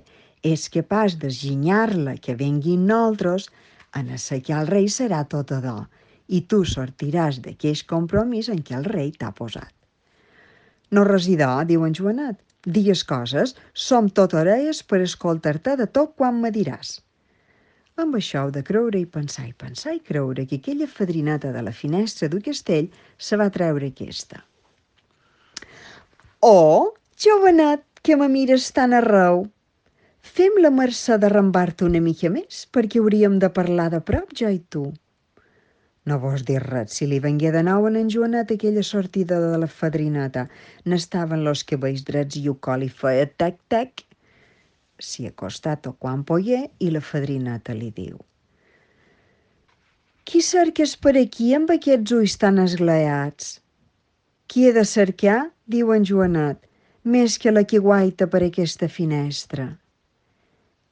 és capaç d'esginyar-la que venguin nosaltres, en assecar el rei serà tota d'or, i tu sortiràs d'aquest compromís en què el rei t'ha posat». «No res d'or», diu en Joanet. «Digues coses, som tot orelles per escoltar-te de tot quan me diràs». Amb això heu de creure i pensar i creure que aquella fadrineta de la finestra d'un castell se va treure aquesta. Oh, jovenet, que me mires tan arreu! Fem la mercè d'arrambar-te una mica més, perquè hauríem de parlar de prop, jo i tu. No vos dir res, si li vengué de nou en Joanet aquella sortida de la fadrineta. N'estaven los cabells drets i el col i feia tec-tec. S'hi acostà tot quan pogué i la fadrineta li diu: «Qui cerques per aquí amb aquests ulls tan esglaats?» «Qui he de cercar?» diu en Joanet, «més que la que guaita per aquesta finestra».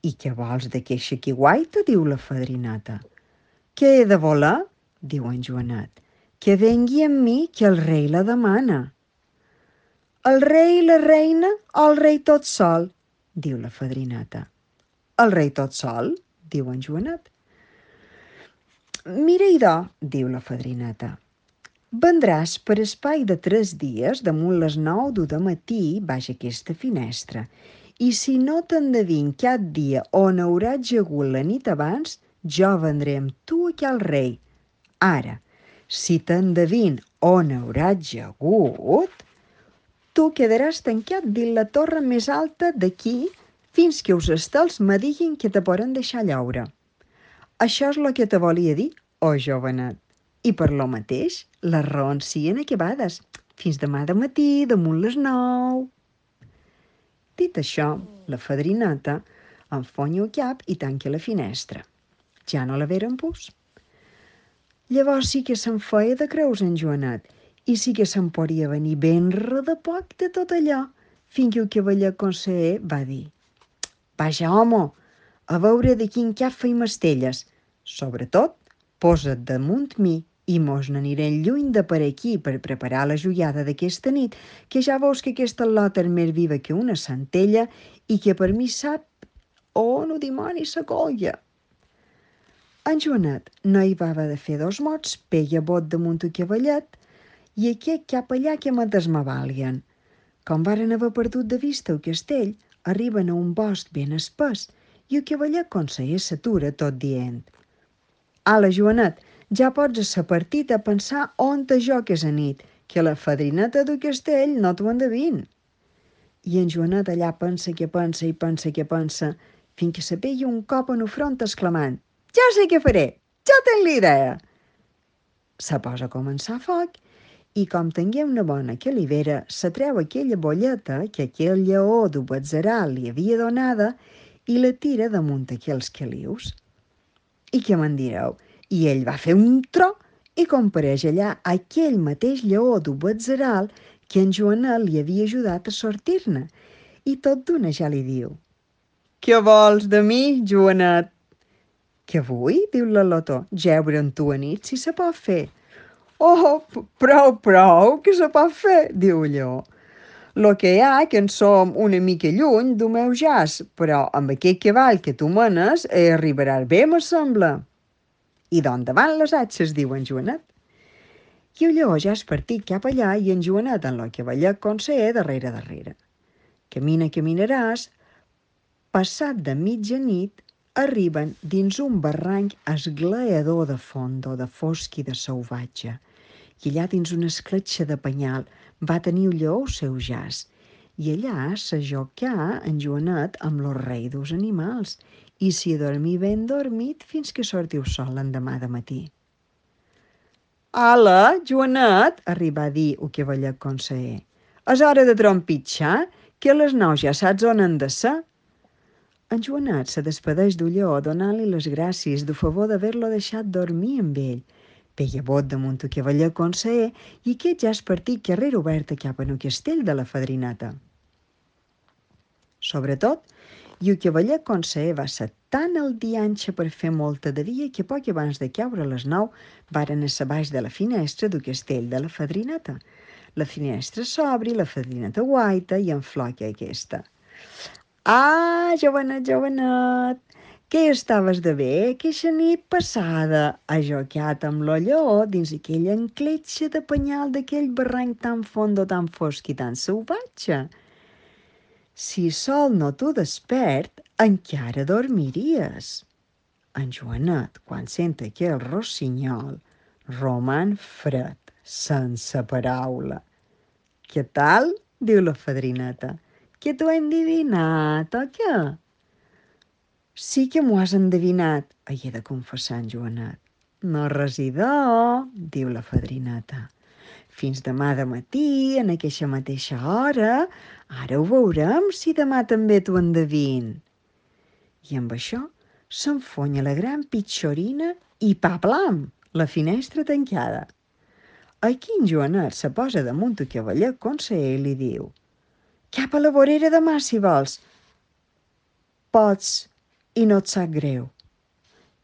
«I què vols d'aqueixa que guaita?» diu la fadrineta. «Què he de voler?» diu en Joanet. «Que vengui amb mi, que el rei la demana». «El rei i la reina o el rei tot sol?» diu la fadrineta. «El rei tot sol?» diu en Joanet. «Mira, idò», diu la fadrineta, «vendràs per espai de 3 dies damunt les 9 de matí baix aquesta finestra, i si no t'endevin cap dia on hauràs jagut la nit abans, jo vendré amb tu aquí al rei. Ara, si t'endevin on hauràs jagut, tu quedaràs tancat dins la torre més alta d'aquí fins que els estels me diguin que te poden deixar llaure. Això és el que te volia dir, oh jovenet. I per lo mateix, les raons siguin acabades. Fins demà de matí, damunt les 9. Dit això, la fadrineta enfonya el cap i tanca la finestra. Ja no la veren pus. Llavors sí que se'n feia de creus en Joanet, i sí que se'n podia venir ben de poc de tot allò, fins que el cavaller conseller va dir: «Vaja, home, a veure de quin cap feim estelles. Sobretot, posa't damunt mi i mos n'anirem lluny de per aquí per preparar la joiada d'aquesta nit, que ja veus que aquesta lota és més viva que una centella i que per mi sap on ho dimoni sa colla». En Joanet no hi va haver de fer 2 mots, peia bot damunt el cavallet i aquest cap allà que me desmavalien. Com varen haver perdut de vista el castell, arriben a un bosc ben espès i el cavaller conseller s'atura tot dient: «Ala, Joanet, ja pots a sa partida a pensar on te joques a nit, que la fadrineta del castell no t'ho endevin». I en Joanet allà pensa que pensa i pensa que pensa, fins que se pega un cop en el front exclamant: «Ja sé què faré, ja tenc l'idea». Se posa a començar a foc i, com tingué una bona calivera, se treu aquella bolleta que aquell lleó d'un batzeral li havia donada i la tira damunt aquells calius. I què me'n direu? I ell va fer un tro i compareix allà aquell mateix lleó d'un batzeral que en Joanet li havia ajudat a sortir-ne, i tot d'una ja li diu: «Què vols de mi, Joanet?» «Què vull?» diu la Lotó, «jeure amb tu a nit, si se pot fer». «Oh, prou, que se pot fer», diu el lleó. «Lo que hi ha que en som una mica lluny del meu jaç, però amb aquest cavall que tu menes arribaràs bé, me sembla». «I d'on davant les atxes», diu en Joanet. I el lleó ja és partit cap allà i en Joanet en lo cavallet conseller darrere. Caminaràs, passat de mitjanit, arriben dins un barranc esglaador de fondo, de fosc i de salvatge, i allà dins una escletxa de penyal va tenir el lleó el seu jaç, i allà s'ajocà en Joanet amb lo rei dels animals i s'hi dormí ben dormit fins que sortiu sol l'endemà de matí. «Ala, Joanet», arribà a dir el cavaller conseller, «és hora de trompitxar, que a les 9 ja saps on han de ser». En Joanet se despedeix del lleó donant-li les gràcies del favor d'haver-lo deixat dormir amb ell. Peia bot damunt el cavaller conseller i aquest ja és partit carrera oberta cap al castell de la fadrineta. Sobretot, i el cavaller conseller va ser tan al dianxe per fer molta de dia que poc abans de caure a les 9 varen a baix de la finestra del castell de la fadrineta. La finestra s'obri, la fadrineta guaita i enfloca aquesta. «Ah, jovenet, que hi estaves de bé, aquesta nit passada, ajocat amb lo lleó dins aquella encletxa de penyal d'aquell barranc tan fondo, tan fosc i tan salvatge? Si sol no t'ho despert, encara dormiries». En Joanet, quan sent aquell rossinyol, roman fred, sense paraula. «Què tal?» diu la fadrineta. «Que t'ho he endevinat, o què?» «Sí que m'ho has endevinat», he de confessar en Joanet. «No residor», diu la fadrineta. «Fins demà de matí, en aquesta mateixa hora. Ara ho veurem, si demà també t'ho endevin». I amb això s'enfonya la gran pitxorina i paplam, la finestra tancada. Aquí en Joanet se posa damunt el cavallet conseller i li diu: «Cap a la vorera demà, si vols. Pots, i no et sap greu».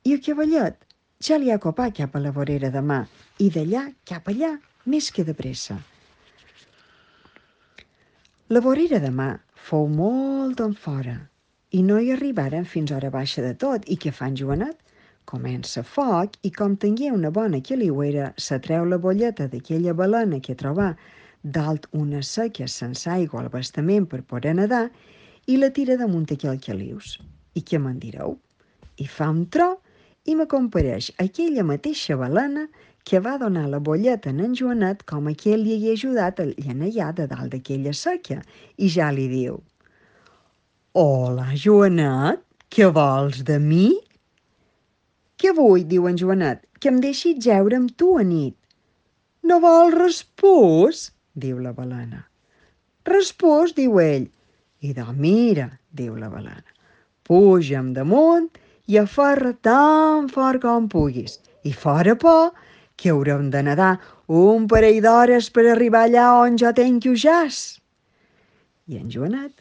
I el cavallet ja li ha copat cap a la vorera demà, i d'allà cap allà, més que de pressa. La vorera demà fou molt en fora, i no hi arribaren fins hora baixa de tot. I què fa en Joanet? Comença foc i, com tingué una bona quiliuera, se treu la bolleta d'aquella balena que trobà dalt una seca sense aigua al bastament per poder nedar i la tira damunt aquell calius. I què me'n direu? I fa un tro i me compareix aquella mateixa balena que va donar la bolleta en Joanet com aquell li hagués ajudat a llanellar de dalt d'aquella seca, i ja li diu: «Hola, Joanet, què vols de mi?» «Què vull?» diu en Joanet, «que em deixis jeure amb tu a nit». «No vols respòs?» diu la balena. «Respòs», diu ell. «I de mira», diu la balena, «puja'm damunt i aferra tan fort com puguis, i fora por, que haurem de nedar un parell d'hores per arribar allà on jo tenc el jaç». I en Joanet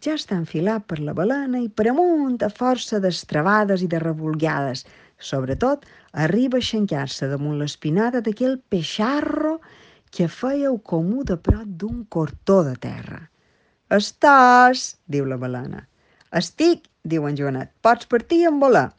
ja està enfilat per la balena i per amunt a força d'estrabades i de revolgades. Sobretot, arriba a xencar-se damunt l'espinada d'aquell peixarro que feia el comú de prop d'un cortó de terra. «Estàs?» diu la balena. «Estic», diu en Joanet, «pots partir en volar».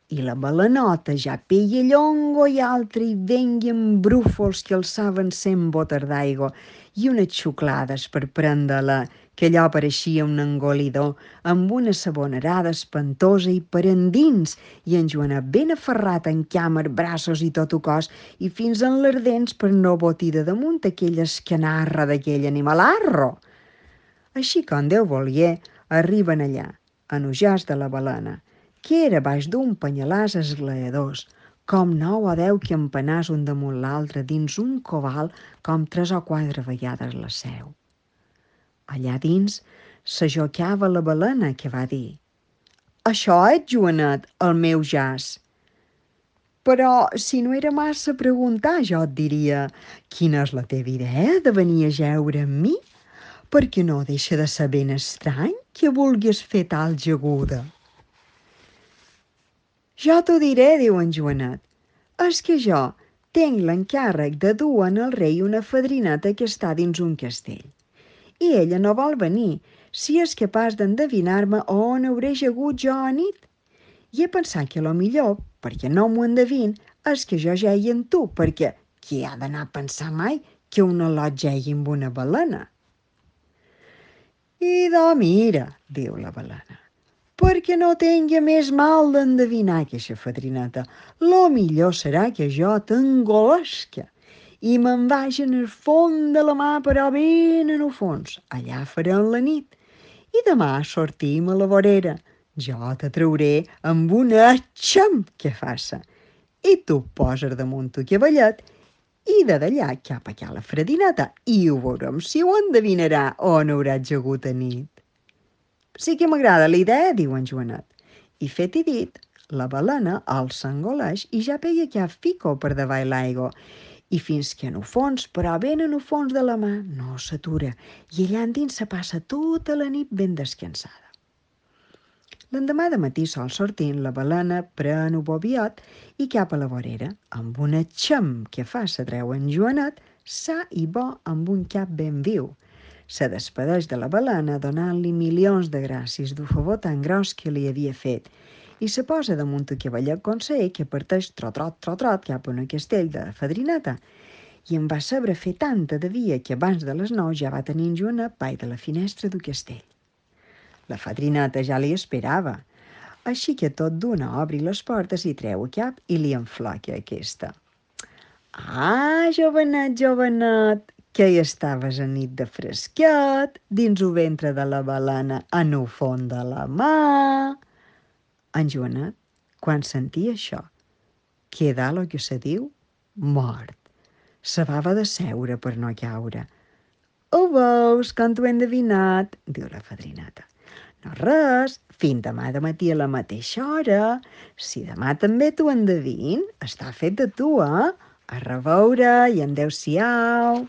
I la balenota ja peia llongo i altre i vengui amb brúfols que alçaven 100 botes d'aigua i unes xuclades per prendre-la, que allò pareixia un engolidor, amb una sabonerada espantosa i per endins, i en Joanet ben aferrat en càmer, braços i tot el cos, i fins en les dents per no botir de damunt aquella escanarra d'aquell animalarro. Així com Déu volia, arriben allà, en el jaç de la balena, que era baix d'un penyalàs esglaadors, com 9 o 10 campanars un damunt l'altre dins un cobal com 3 o 4 vegades la seu. Allà dins s'ajocava la balena, que va dir: «Això és, Joanet, el meu jaç». «Però si no era massa preguntar, jo et diria: quina és la teva idea de venir a jeure amb mi? Perquè no deixa de ser ben estrany que vulguis fer tal jaguda». «Jo t'ho diré», diu en Joanet. «És que jo tinc l'encàrrec de dur en el rei una fadrineta que està dins un castell. I ella no vol venir, si és capaç d'endevinar-me on hauré jagut jo a nit. I he pensat que lo millor, perquè no m'ho endevin, és que jo jegui amb tu, perquè qui ha d'anar a pensar mai que un al·lot jegui amb una balena?» «I de mira», diu la balena, «perquè no tingui més mal d'endevinar aquesta fadrineta, lo millor serà que jo t'engolesca i me'n vagi en el fons de la mà, però ben en el fons. Allà farem la nit i demà sortim a la vorera. Jo te trauré amb una xam que faça i tu poses damunt el cavallet i de d'allà cap a la fadrineta i ho veurem si ho endevinarà on haurà jagut a nit». «Sí que m'agrada la idea», diu en Joanet. I fet i dit, la balena el s'engoleix i ja pega cap fico per davall l'aigua, i fins que en el fons, però ben en el fons de la mà, no s'atura, i allà endins se passa tota la nit ben descansada. L'endemà de matí sol sortint, la balena pren el bobiot i cap a la vorera, amb una xam que fa se treu en Joanet, sa i bo amb un cap ben viu. Se despedeix de la balena donant-li milions de gràcies del favor tan gros que li havia fet i se posa damunt el cavallet conseller que parteix trot cap a un castell de la fadrineta, i en va saber fer tanta de dia que abans de les 9 ja va tenir Joanet pai de la finestra del castell. La fadrineta ja li esperava. Així que tot d'una obri les portes i treu a cap i li enflaca aquesta. Ah, jovenet, jovenet, que hi estaves a nit de fresquet, dins el ventre de la balena, en el fons de la mà. En Joanet, quan sentia això, quedà el que se diu mort. S'havava de seure per no caure. Ho veus, com t'ho he endevinat, diu la fadrineta. No res, fins demà de matí a la mateixa hora. Si demà també t'ho endevin, està fet de tu, eh? A reveure i adéu-siau.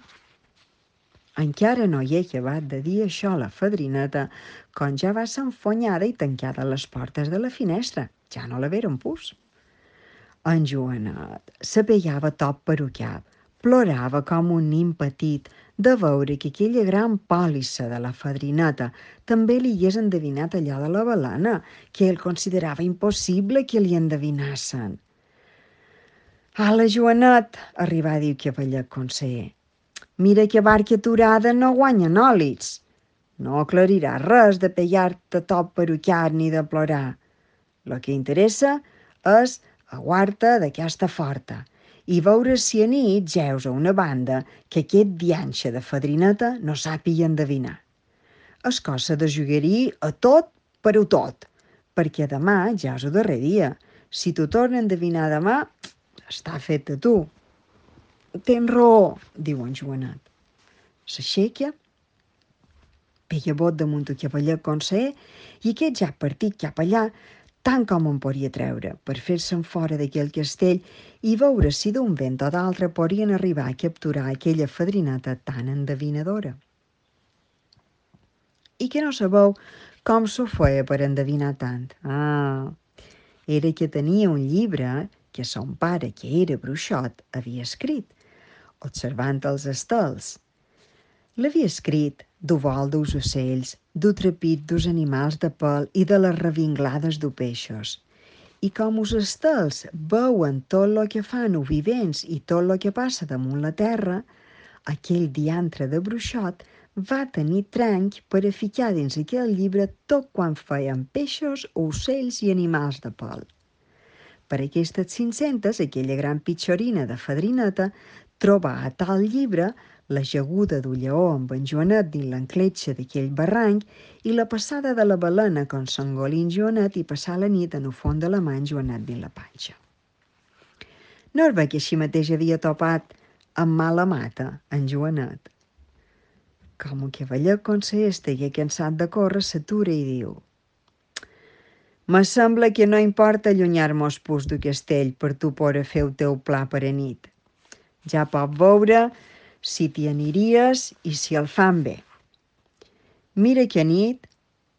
Encara no hi he acabat de dir això a la fadrineta, quan ja va ser enfonyada i tancada les portes de la finestra. Ja no la veren pus. En Joanet se pegava tot per un cap, plorava com un nin petit de veure que aquella gran pòlissa de la fadrineta també li hagués endevinat allò de la balena, que ell considerava impossible que li endevinassen. «Ala, Joanet», arribà a dir el cavallet conseller, «mira que barca aturada no guanya nòlits. No aclarirà res de pegar-te tot per un cap ni de plorar. Lo que interessa és aguar-te d'aquesta forta i veure si a nit jeus a una banda que aquest dianxe de fadrineta no sàpiga endevinar. És cosa de jugar-hi a tot per a tot, perquè demà ja és el darrer dia. Si t'ho torna a endevinar demà, està fet de tu». «Tens raó», diu en Joanet. S'aixeca, pega bot damunt el cavallet conseller i aquest ja ha partit cap allà tant com en podia treure, per fer-se'n fora d'aquell castell i veure si d'un vent o d'altre podien arribar a capturar aquella fadrineta tan endevinadora. I que no sabeu com s'ho feia per endevinar tant? Ah, era que tenia un llibre que son pare, que era bruixot, havia escrit, observant els estels. L'havia escrit du vol dels ocells, du trepit dels animals de pèl i de les revinglades de peixos. I com els estels veuen tot el que fan els vivents i tot el que passa damunt la terra, aquell diantre de bruixot va tenir tranc per a ficar dins aquell llibre tot quan feien peixos, ocells i animals de pèl. Per aquestes 500, aquella gran pitxorina de fadrineta trobà a tal llibre la jaguda d'un lleó amb en Joanet dins l'encletxa d'aquell barranc i la passada de la balena con s'engolint Joanet i passar la nit en el fons de la mà en Joanet dins la panxa. No es ve que així mateix havia topat amb mala mata en Joanet. Com un cavallet conseller estigué cansat de córrer, s'atura i diu: «Me sembla que no importa allunyar-mos pus del castell per tu poder fer el teu pla per a nit. Ja pot veure si t'hi aniries i si el fan bé. Mira que a nit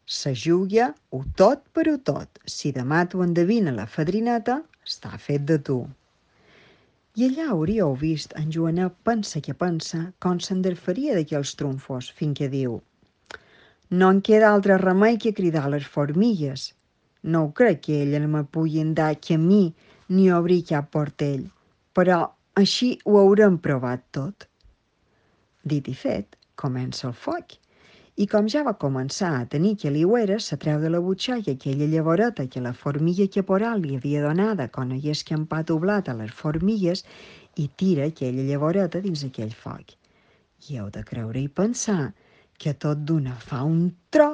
se juga o tot per o tot. Si demà t'ho endevina la fadrineta, està fet de tu». I allà hauríeu vist en Joanet pensa que pensa com s'enderfaria d'aquells trumfos, fins que diu: «No en queda altre remei que cridar les formigues. No ho crec que elles me puguin dar camí ni obrir cap portell, però així ho haurem provat tot». Dit i fet, comença el foc. I com ja va començar a tenir caliuera, se treu de la butxaca aquella llavoreta que la formiga caporal li havia donada quan hagués escampat el blat a les formigues i tira aquella llavoreta dins aquell foc. I heu de creure i pensar que tot d'una fa un tro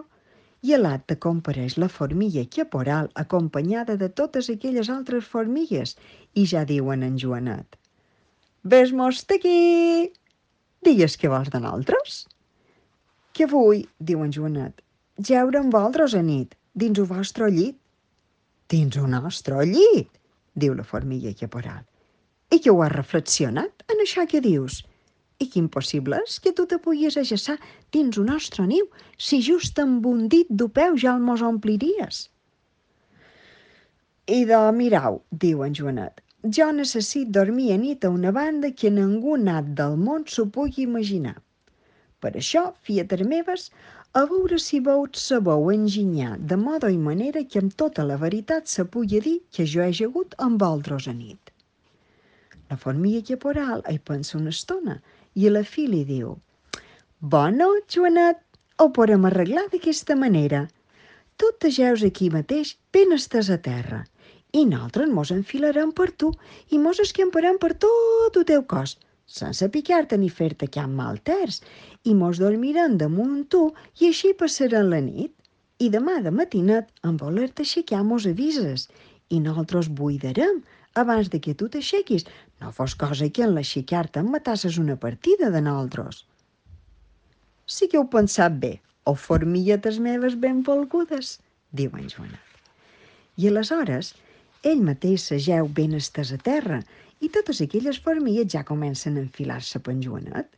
i a l'acte compareix la formiga caporal acompanyada de totes aquelles altres formigues i ja diuen en Joanet: «Ves-mos d'aquí! Digues què vols de nosaltres?» «Què vull?» diu en Joanet. «Jeure amb vosaltres a nit, dins el vostre llit». «Dins el nostre llit?» diu la formiga caporal. «I que ho has reflexionat en això que dius? I que impossible és que tu te puguis ajaçar dins el nostre niu si just amb un dit d'un peu ja el mos ompliries». «I de mirau», diu en Joanet, «jo necessit dormir a nit a una banda que ningú nat del món s'ho pugui imaginar. Per això, fiates meves, a veure si vau sabeu enginyar de modo i manera que amb tota la veritat se pugui dir que jo he jagut amb vosaltres a nit». La formiga caporal hi pensa una estona i a la fi li diu: «Bona, Joanet, ho podem arreglar d'aquesta manera. Tu t'ageus aquí mateix, ben estès a terra, i nosaltres mos enfilarem per tu i mos escamparem per tot el teu cos, sense picar-te ni fer-te cap mal terç, i mos dormirem damunt tu i així passarem la nit. I demà de matinet, en voler-te aixecar, mos avises i nosaltres buidarem abans de que tu t'aixequis. No fos cosa que en l'aixecar-te em matasses una partida de nosaltres. Sí que heu pensat bé, o formiguetes meves ben volgudes, diu en Joanet. I aleshores ell mateix s'ageu ben estès a terra i totes aquelles formigues ja comencen a enfilar-se per en Joanet.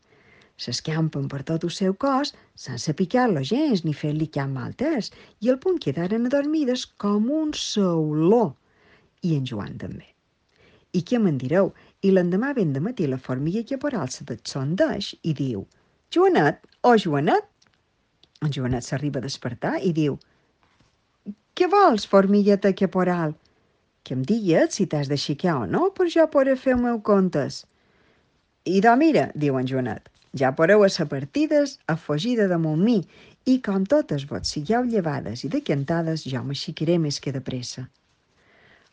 S'escampen per tot el seu cos sense picar-lo gens ni fer-li cap mal test i al punt quedaren adormides com un sauló. I en Joan també. I què me'n direu? I l'endemà ben de matí la formiga caporal se descondeix i diu: Joanet, Joanet? En Joanet s'arriba a despertar i diu: Què vols, formigueta caporal? Que em digues si t'has d'aixecar o no, per jo poder fer el meu comptes. I mira, diu en Joanet, ja podeu a ser partides a fugida damunt mi, i com totes vos sigueu llevades i decantades, jo m'aixecaré més que de pressa.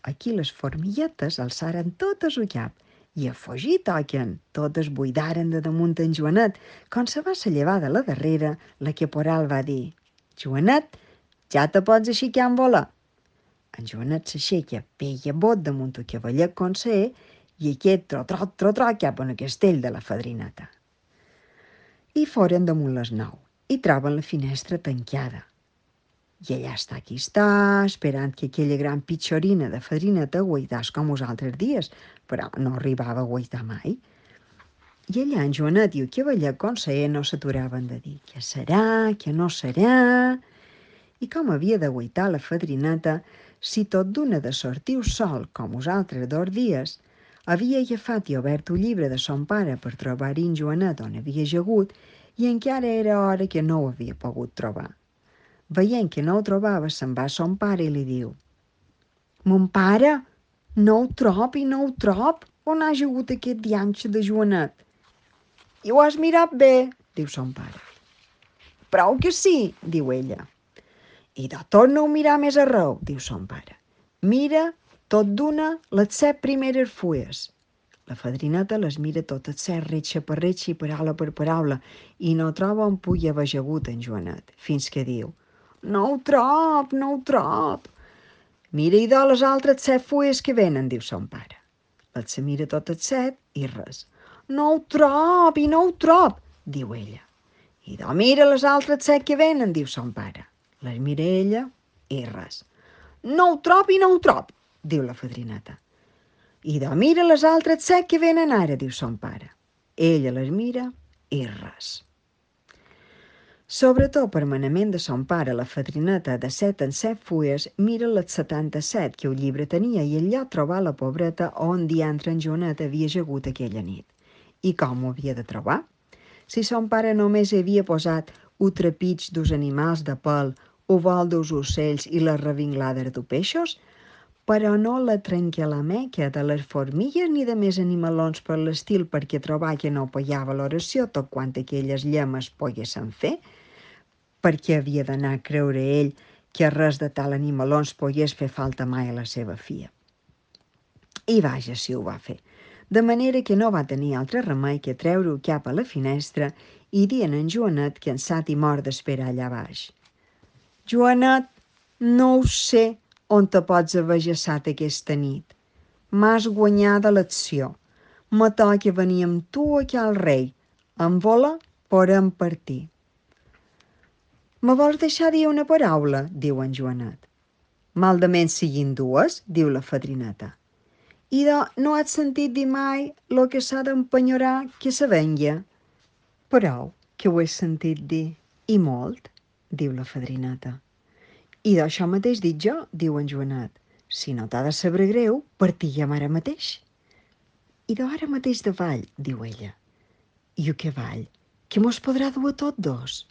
Aquí les formiguetes alçaren totes el cap i a fugir toquen. Totes buidaren de damunt en Joanet. Quan se va ser llevada la darrera, la caporal va dir: Joanet, ja te pots aixecar en volar. En Joanet s'aixeca, peia bot damunt el cavallet conseller i aquest trot cap en el castell de la fadrineta. I foren damunt les 9 i troben la finestra tancada. I allà està, esperant que aquella gran pitxorina de fadrineta guaitàs com els altres dies, però no arribava a guaitar mai. I allà en Joanet i el cavallet conseller no s'aturaven de dir què serà, què no serà. I com havia de guaitar la fadrineta, si tot d'una de sortir sol com els altres 2 dies, havia agafat i obert el llibre de son pare per trobar-hi en Joanet on havia jagut i encara era hora que no ho havia pogut trobar. Veient que no ho trobava, se'n va a son pare i li diu: Mon pare, no ho trob i no ho trob. On ha jagut aquest dianxe de Joanet? I ho has mirat bé, diu son pare. Prou que sí, diu ella. I de torna-ho a mirar més arreu, diu son pare. Mira tot d'una les 7 primeres fulles. La fadrineta les mira totes 7, retxa per retxa i paraula per paraula, i no troba on pugui haver jagut en Joanet, fins que diu: No ho trob, no ho trob. Mira i de les altres 7 fulles que venen, diu son pare. Les se mira totes 7 i res. No ho trob i no ho trob, diu ella. I de mira les altres 7 que venen, diu son pare. Les mira ella i res. No ho trob i no ho trob, diu la fadrineta. I de mira les altres 7 que venen ara, diu son pare. Ella les mira i res. Sobretot per manament de son pare, la fadrineta de 7 en 7 fulles mira les 77 que el llibre tenia i allà trobar la pobreta on diantre en Joanet havia jagut aquella nit. I com ho havia de trobar? Si son pare només havia posat un trepig dels animals de pèl, o vol dels ocells i les revinglades de peixos, però no la tranquil·lameca de les formigues ni de més animalons per l'estil perquè trobar que no pagava l'oració tot quant aquelles llemes poguessin fer, perquè havia d'anar a creure ell que res de tal animalons pogués fer falta mai a la seva filla. I vaja si ho va fer, de manera que no va tenir altre remei que treure-ho cap a la finestra i dir en Joanet cansat i mort d'esperar allà baix: Joanet, no ho sé on te pots haver jaçat aquesta nit. M'has guanyada l'acció. Me toca venir amb tu aquí al rei. En vola podem partir. Me vols deixar dir una paraula? Diu en Joanet. Maldament siguin dues, diu la fadrineta. I no has sentit dir mai lo que s'ha d'empenyorar que se venga? Prou que ho he sentit dir, i molt, diu la fadrineta. I d'això mateix dic jo, diu en Joanet. Si no t'ha de saber greu, partiguem ara mateix. I d'ara mateix davall, diu ella. I o que vall? Que mos podrà dur a tot dos?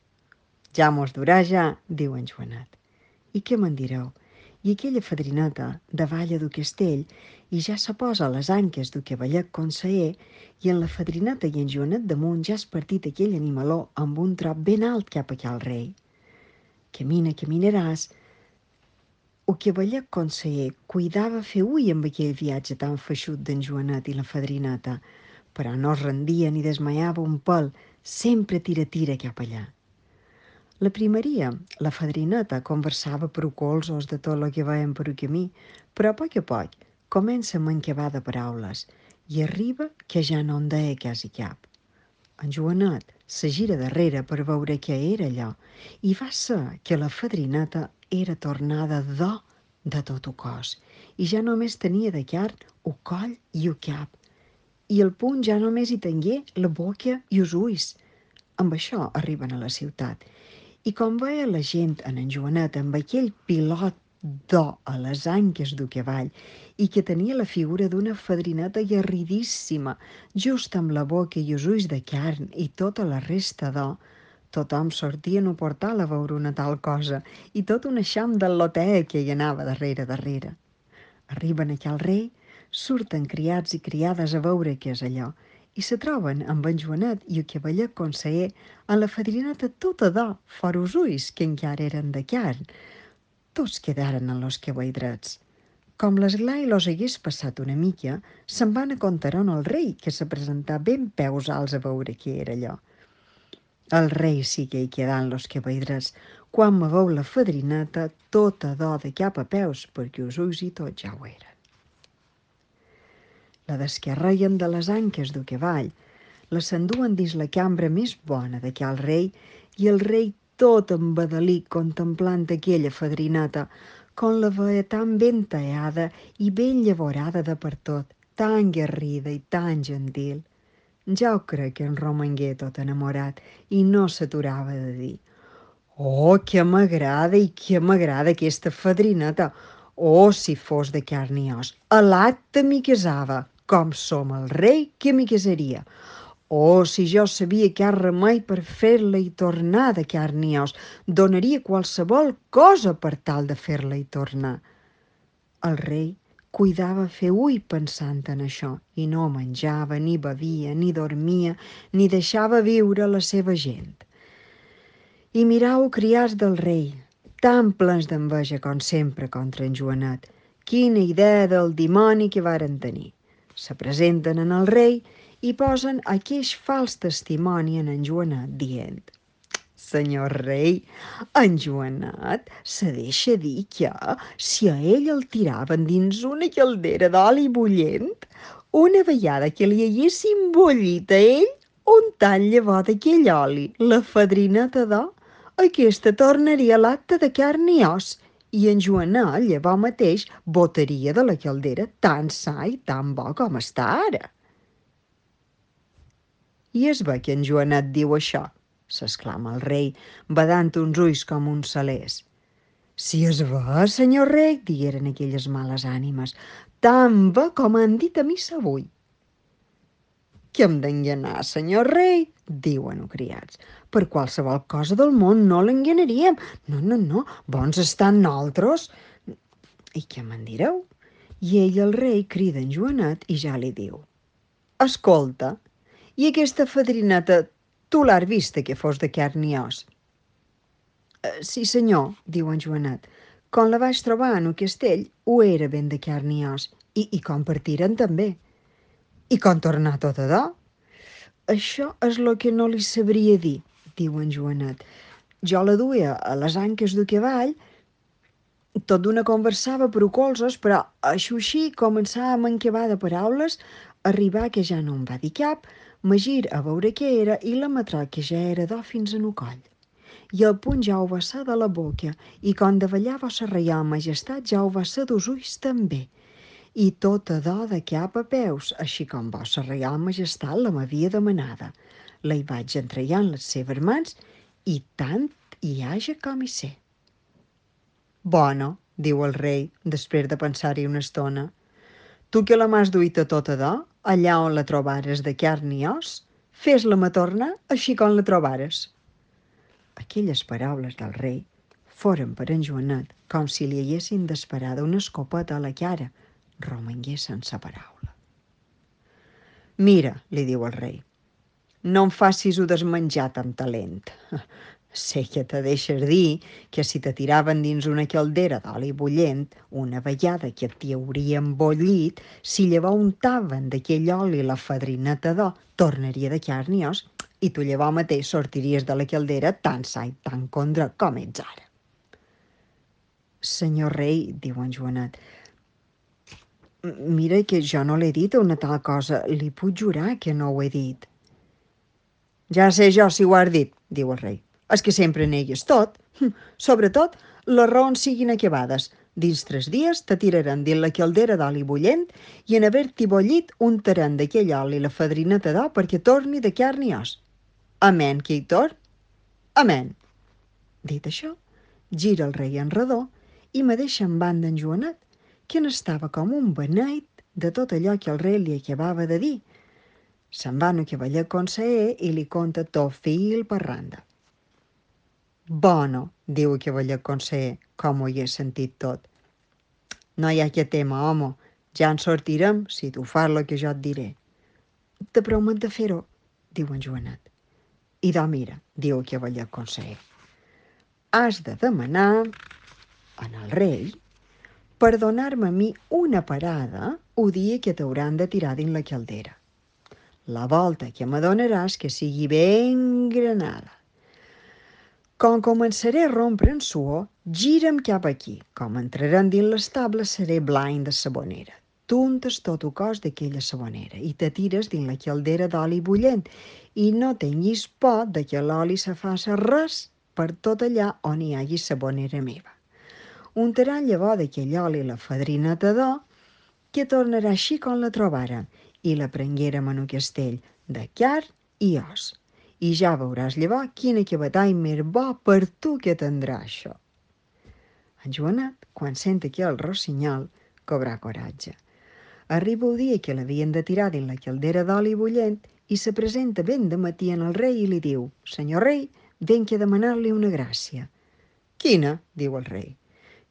Ja mos durà ja, diu en Joanet. I què me'n direu? I aquella fadrineta davalla du castell i ja se posa a les anques du cavallet conseller i en la fadrineta i en Joanet damunt ja has partit aquell animaló amb un trop ben alt cap aquí al rei. Camina, caminaràs, El cavaller conseller cuidava fer ui amb aquell viatge tan feixut d'en Joanet i la fadrineta, però no es rendia ni desmaiava un pèl, sempre tira cap allà. La primeria, la fadrineta, conversava per colzos de tot el que veien per el camí, però a poc comença a mancavar de paraules i arriba que ja no en deia quasi cap. En Joanet se gira darrere per veure què era allò i va ser que la fadrineta era tornada d'or de tot el cos i ja només tenia de carn el coll i el cap i al punt ja només hi tingué la boca i els ulls. Amb això arriben a la ciutat i com veia la gent en Joanet amb aquell pilot d'or a les anques del cavall i que tenia la figura d'una fadrineta garridíssima, just amb la boca i els ulls de carn i tota la resta d'or, tothom sortia en un portal a veure una tal cosa i tot un eixam del loteig que hi anava darrere. Arriben aquí al rei, surten criats i criades a veure què és allò i se troben amb en Joanet i el cavaller conseller amb la fadrineta tota d'or, fora els ulls, que encara eren de carn. Tots quedaren en los cabelldrets. Com l'esglai los hagués passat una mica, se'n van a contar on el rei, que se presentà ben peus alts a veure què era allò. El rei sí que hi quedà en los cabelldrets, quan me veu la fadrineta tota d'or de cap a peus, perquè els ulls i tot ja ho eren. La descarreguen de les anques del cavall, la s'enduen dins la cambra més bona d'aquell rei i el rei tot embadalit contemplant aquella fadrineta, com la veia tan ben tallada i ben llavorada de per tot, tan guerrida i tan gentil. Ja ho crec que en romangué tot enamorat i no s'aturava de dir: «Oh, que m'agrada i que m'agrada aquesta fadrineta! Oh, si fos de carn i os, a l'acte m'hi casava, com som el rei que m'hi casaria. Oh, si jo sabia cap remei per fer-la i tornar de carn i os, donaria qualsevol cosa per tal de fer-la i tornar». El rei cuidava fer ui pensant en això i no menjava, ni bevia, ni dormia, ni deixava viure la seva gent. I mirau criats del rei, tan plens d'enveja com sempre contra en Joanet. Quina idea del dimoni que varen tenir. Se presenten en el rei i posen aqueix fals testimoni en Joanet, dient: «Senyor rei, en Joanet se deixa dir que, si a ell el tiraven dins una caldera d'oli bullent, una vegada que li haguessin bullit a ell un tall llavor d'aquell oli, la fadrineta d'or, aquesta tornaria a l'acte de carn i os, i en Joanet llavors mateix botaria de la caldera tan sa i tan bo com està ara». «I es ve que en Joanet diu això?» s'exclama el rei, badant uns ulls com uns salers. «Si es ve, senyor rei», digueren aquelles males ànimes, «tan bé com han dit a missa avui». «Que hem d'enganar, senyor rei», diuen els criats. «Per qualsevol cosa del món no l'enganaríem. No, bons estan nosaltres». «I què me'n direu?» I ell, el rei, crida en Joanet i ja li diu: «Escolta, i aquesta fadrineta tu l'has vista que fos de carn i os?» «Sí, senyor», diu en Joanet, «com la vaig trobar en el castell, ho era ben de carn i os, i com partiren també». «I com tornar tota d'or?» «Això és el que no li sabria dir», diu en Joanet. «Jo la duia a les anques del cavall, tot d'una conversava per colzes, però així començava a mancavar de paraules, arribar que ja no em va dir cap, me gir a veure què era i la metrà que ja era d'or fins en el coll. I el punt ja ho va ser de la boca, i quan davallar vossa reial majestat ja ho va ser dels ulls també, i tota d'or de cap a peus, així com vossa reial majestat la m'havia demanada. La hi vaig entregar en les seves mans i tant hi haja com hi sé». «Bona», diu el rei, després de pensar-hi una estona. «Tu que la m'has duita tota d'or, allà on la trobares de carn i os, fes-la-me tornar així com la trobares». Aquelles paraules del rei foren per en Joanet com si li haguessin d'esperar una escopeta a la cara. Romangué sense paraula. «Mira», li diu el rei, «no em facis-ho desmenjat amb talent. Sé que te deixes dir que si te tiraven dins una caldera d'oli bullent, una vegada que t'hi haurien bollit, si llavors untaven d'aquell oli la fadrineta d'or, tornaria de carn i os, i tu llavors mateix sortiries de la caldera tan sa i tan condra com ets ara. Senyor rei, diu en Joanet, mira que jo no l'he dit una tal cosa, li puc jurar que no ho he dit. Ja sé jo si ho has dit, diu el rei. És que sempre negues tot. Sobretot, les raons siguin acabades. Dins 3 dies te tiraran dins la caldera d'oli bullent i en haver-t'hi bollit untaran d'aquell oli la fadrineta d'or perquè torni de carn i os. Amén, que hi torn? Amén. Dit això, gira el rei en redó i me deixa en banda en Joanet, que n'estava com un beneit de tot allò que el rei li acabava de dir. Se'n va no cavaller conseller i li conta tot fil per randa. Bueno, diu el cavaller conseller, com ho hi he sentit tot. No hi ha que tema, home, ja en sortirem si tu fas el que jo et diré. Te promet de fer-ho, diu en Joanet. I doncs mira, diu el cavaller conseller, has de demanar en el rei per donar-me a mi una parada el dia que t'hauran de tirar dins la caldera. La volta que me donaràs que sigui ben granada. Com començaré a rompre en suor, gira'm cap aquí. Com entrarem dins l'estable, seré blanc de sabonera. Tuntes tot el cos d'aquella sabonera i te tires dins la caldera d'oli bullent i no tinguis por de que l'oli se faci res per tot allà on hi hagi sabonera meva. Untaran llavors d'aquell oli la fadrineta d'or, que tornarà així com la trobàrem, i la prenguérem en un castell de carn i os. I ja veuràs llavors quin acabatall més bo per tu que tindrà això. En Joanet, quan sent aquell rossinyol, cobrà coratge. Arriba el dia que l'havien de tirar dins la caldera d'oli bullent i se presenta ben de matí en el rei i li diu: «Senyor rei, venc a demanar-li una gràcia». «Quina?», diu el rei.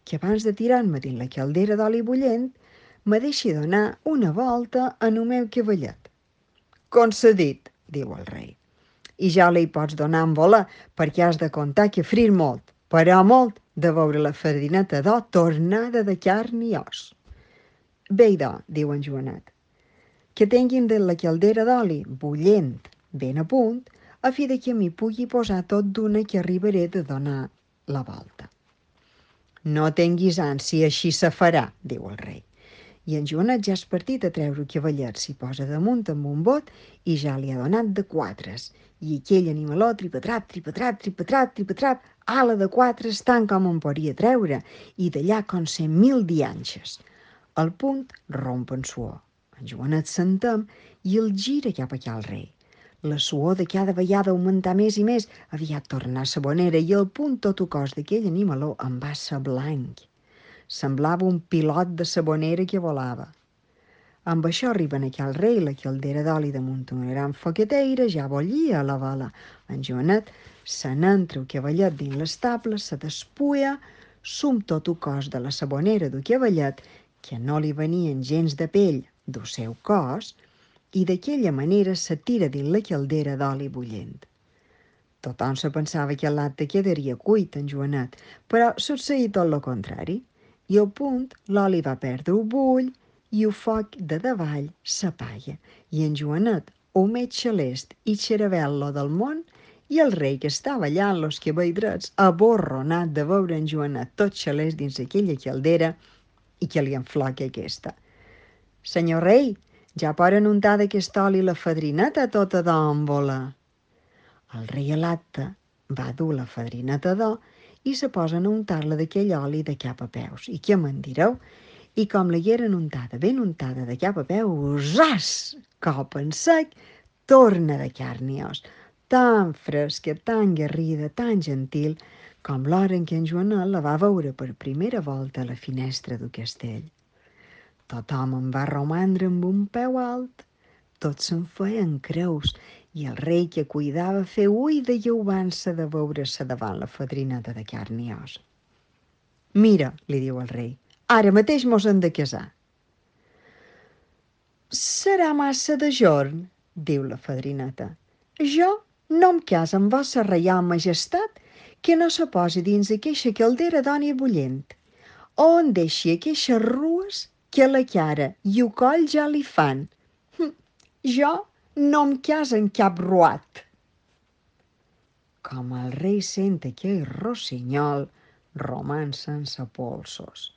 «Que abans de tirar-me dins la caldera d'oli bullent me deixi donar una volta en el meu cavallet». «Concedit», diu el rei. «I ja li pots donar en voler, perquè has de comptar que frir molt, però molt, de veure la farineta d'or tornada de carn i os». «Bé, diu en Joanet, que tinguin de la caldera d'oli bullent ben a punt, a fi de que m'hi pugui posar tot d'una que arribaré de donar la volta». «No tinguis ànsia, així se farà», diu el rei. I en Joanet ja és partit a treure el cavallet, s'hi posa damunt amb un bot i ja li ha donat de quatres. I aquell animaló tripatrap, tripatrap, tripatrap, tripatrap, ala de quatres tant com en podria treure, i d'allà com 100.000 dianxes. Al punt romp en suor. En Joanet s'entén i el gira cap aquí al rei. La suor de cada vegada augmentar més i més, aviat tornar sabonera i al punt tot el cos d'aquell animaló en va ser blanc. Semblava un pilot de sabonera que volava. Amb això arriben aquí al rei la caldera d'oli damunt una gran foqueteira, ja bollia a la vela. En Joanet se n'entra el cavallet dins l'estable, se despuia, sum tot el cos de la sabonera del cavallet, que no li venien gens de pell del seu cos, i d'aquella manera se tira dins la caldera d'oli bullent. Tothom se pensava que l'acte quedaria cuit en Joanet, però succeí tot el contrari. I al punt l'oli va perdre el bull i el foc de davall s'apaga. I en Joanet, el més xalest i xeravel·lo del món, i el rei que estava allà en los cabelldrets, aborronat de veure en Joanet tot xalest dins aquella caldera i que li enfloca aquesta. «Senyor rei, ja poden untar d'aquest oli la fadrineta tota d'òmbola». El rei a l'acte va dur la fadrineta d'or i se posen a untar-la d'aquell oli de cap a peus. I què me'n direu? I com l'hagueren untada, ben untada de cap a peus, zas! Cop en sec, torna de carn i os, tan fresca, tan garrida, tan gentil, com l'hora en què en Joanet la va veure per primera volta a la finestra del castell. Tothom en va romandre amb un peu alt, tots se'n feien creus, i el rei que cuidava fer ull de lleubança de veure-se davant la fadrineta de carn i os. «Mira», li diu el rei, «ara mateix mos hem de casar». «Serà massa de jorn», diu la fadrineta. «Jo no em caso amb vossa reial majestat que no se posi dins aqueixa caldera d'oli bullent, on deixi aqueixes rues que la cara i el coll ja li fan. Jo no em cas en cap ruat. Com el rei sent aquell rossinyol, roman sense polsos.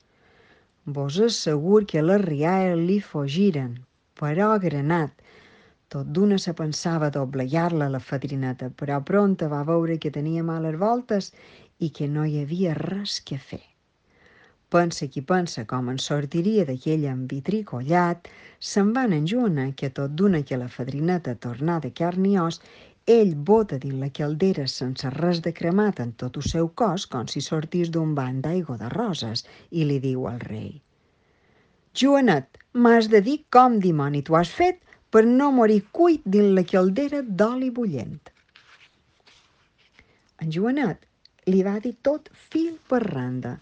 Vos assegur que les rialles li fugiren, però granat. Tot d'una se pensava doblegar-la la fadrineta, però pronta va veure que tenia males voltes i que no hi havia res que fer. Pensa qui pensa com en sortiria d'aquell envitricollat, se'n van enjoanar que tot d'una que la fadrineta tornà de carn i os, ell bota dins la caldera sense res de cremat en tot el seu cos, com si sortís d'un bany d'aigua de roses, i li diu al rei: Joanet, m'has de dir com dimoni t'ho has fet per no morir cuit dins la caldera d'oli bullent. En Joanet li va dir tot fil per randa,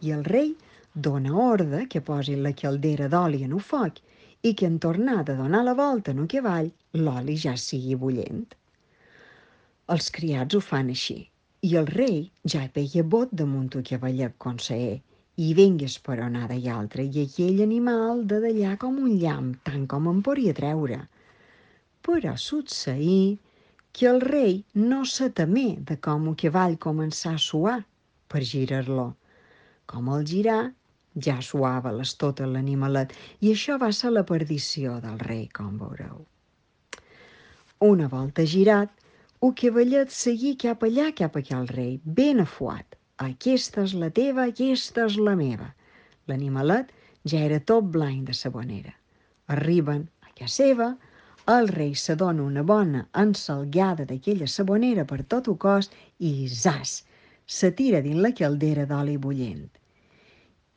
i el rei dona ordre que posi la caldera d'oli en el foc i que en tornar de donar la volta en el cavall l'oli ja sigui bullent. Els criats ho fan així, i el rei ja veia bot damunt el cavallet conseller, i vinga esperonada i altra, i aquell animal de d'allà com un llamp, tant com en podia treure. Però succeí que el rei no se temé de com el cavall començà a suar per girar-lo. Com el girà, ja suava l'estot l'animalet, i això va ser la perdició del rei, com veureu. Una volta girat, el cavallet seguí cap allà, cap a aquell rei, ben afuat. Aquesta és la teva, aquesta és la meva. L'animalet ja era tot blanc de sabonera. Arriben a casa seva, el rei s'adona una bona ensalgada d'aquella sabonera per tot el cos i, zas, se tira dins la caldera d'oli bullent.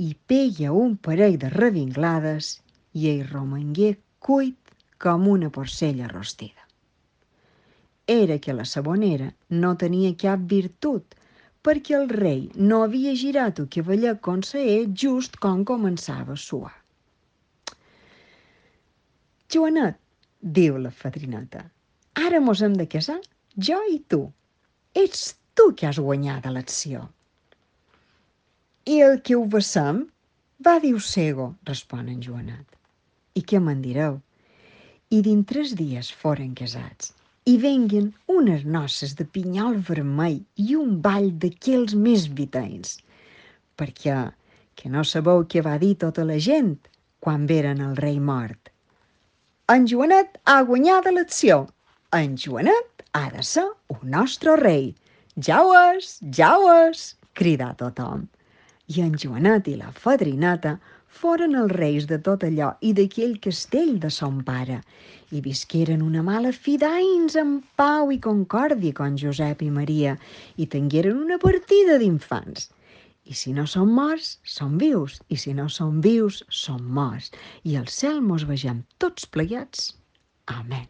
I pega un parell de revinglades i ell romangué cuit com una porcella rostida. Era que la sabonera no tenia cap virtut, perquè el rei no havia girat el cavallet conseller just com començava a suar. Joanet, diu la fadrineta, ara mos hem de casar, jo i tu. Ets tu que has guanyat l'elecció. I el que ho vessem? Va dir cego, respon en Joanet. I què me'n direu? I dins 3 dies foren casats, i venguen unes noces de pinyol vermell i un ball d'aquells més vitents, perquè que no sabeu què va dir tota la gent quan veren el rei mort. En Joanet ha guanyat l'elecció. En Joanet ha de ser el nostre rei. Ja ho és, cridà tothom. I en Joanet i la fadrineta foren els reis de tot allò i d'aquell castell de son pare, i visqueren una mala fi d'anys en pau i concòrdia con Josep i Maria, i tingueren una partida d'infants. I si no són morts, són vius, i si no són vius, són morts. I al cel mos vegem tots plegats. Amén.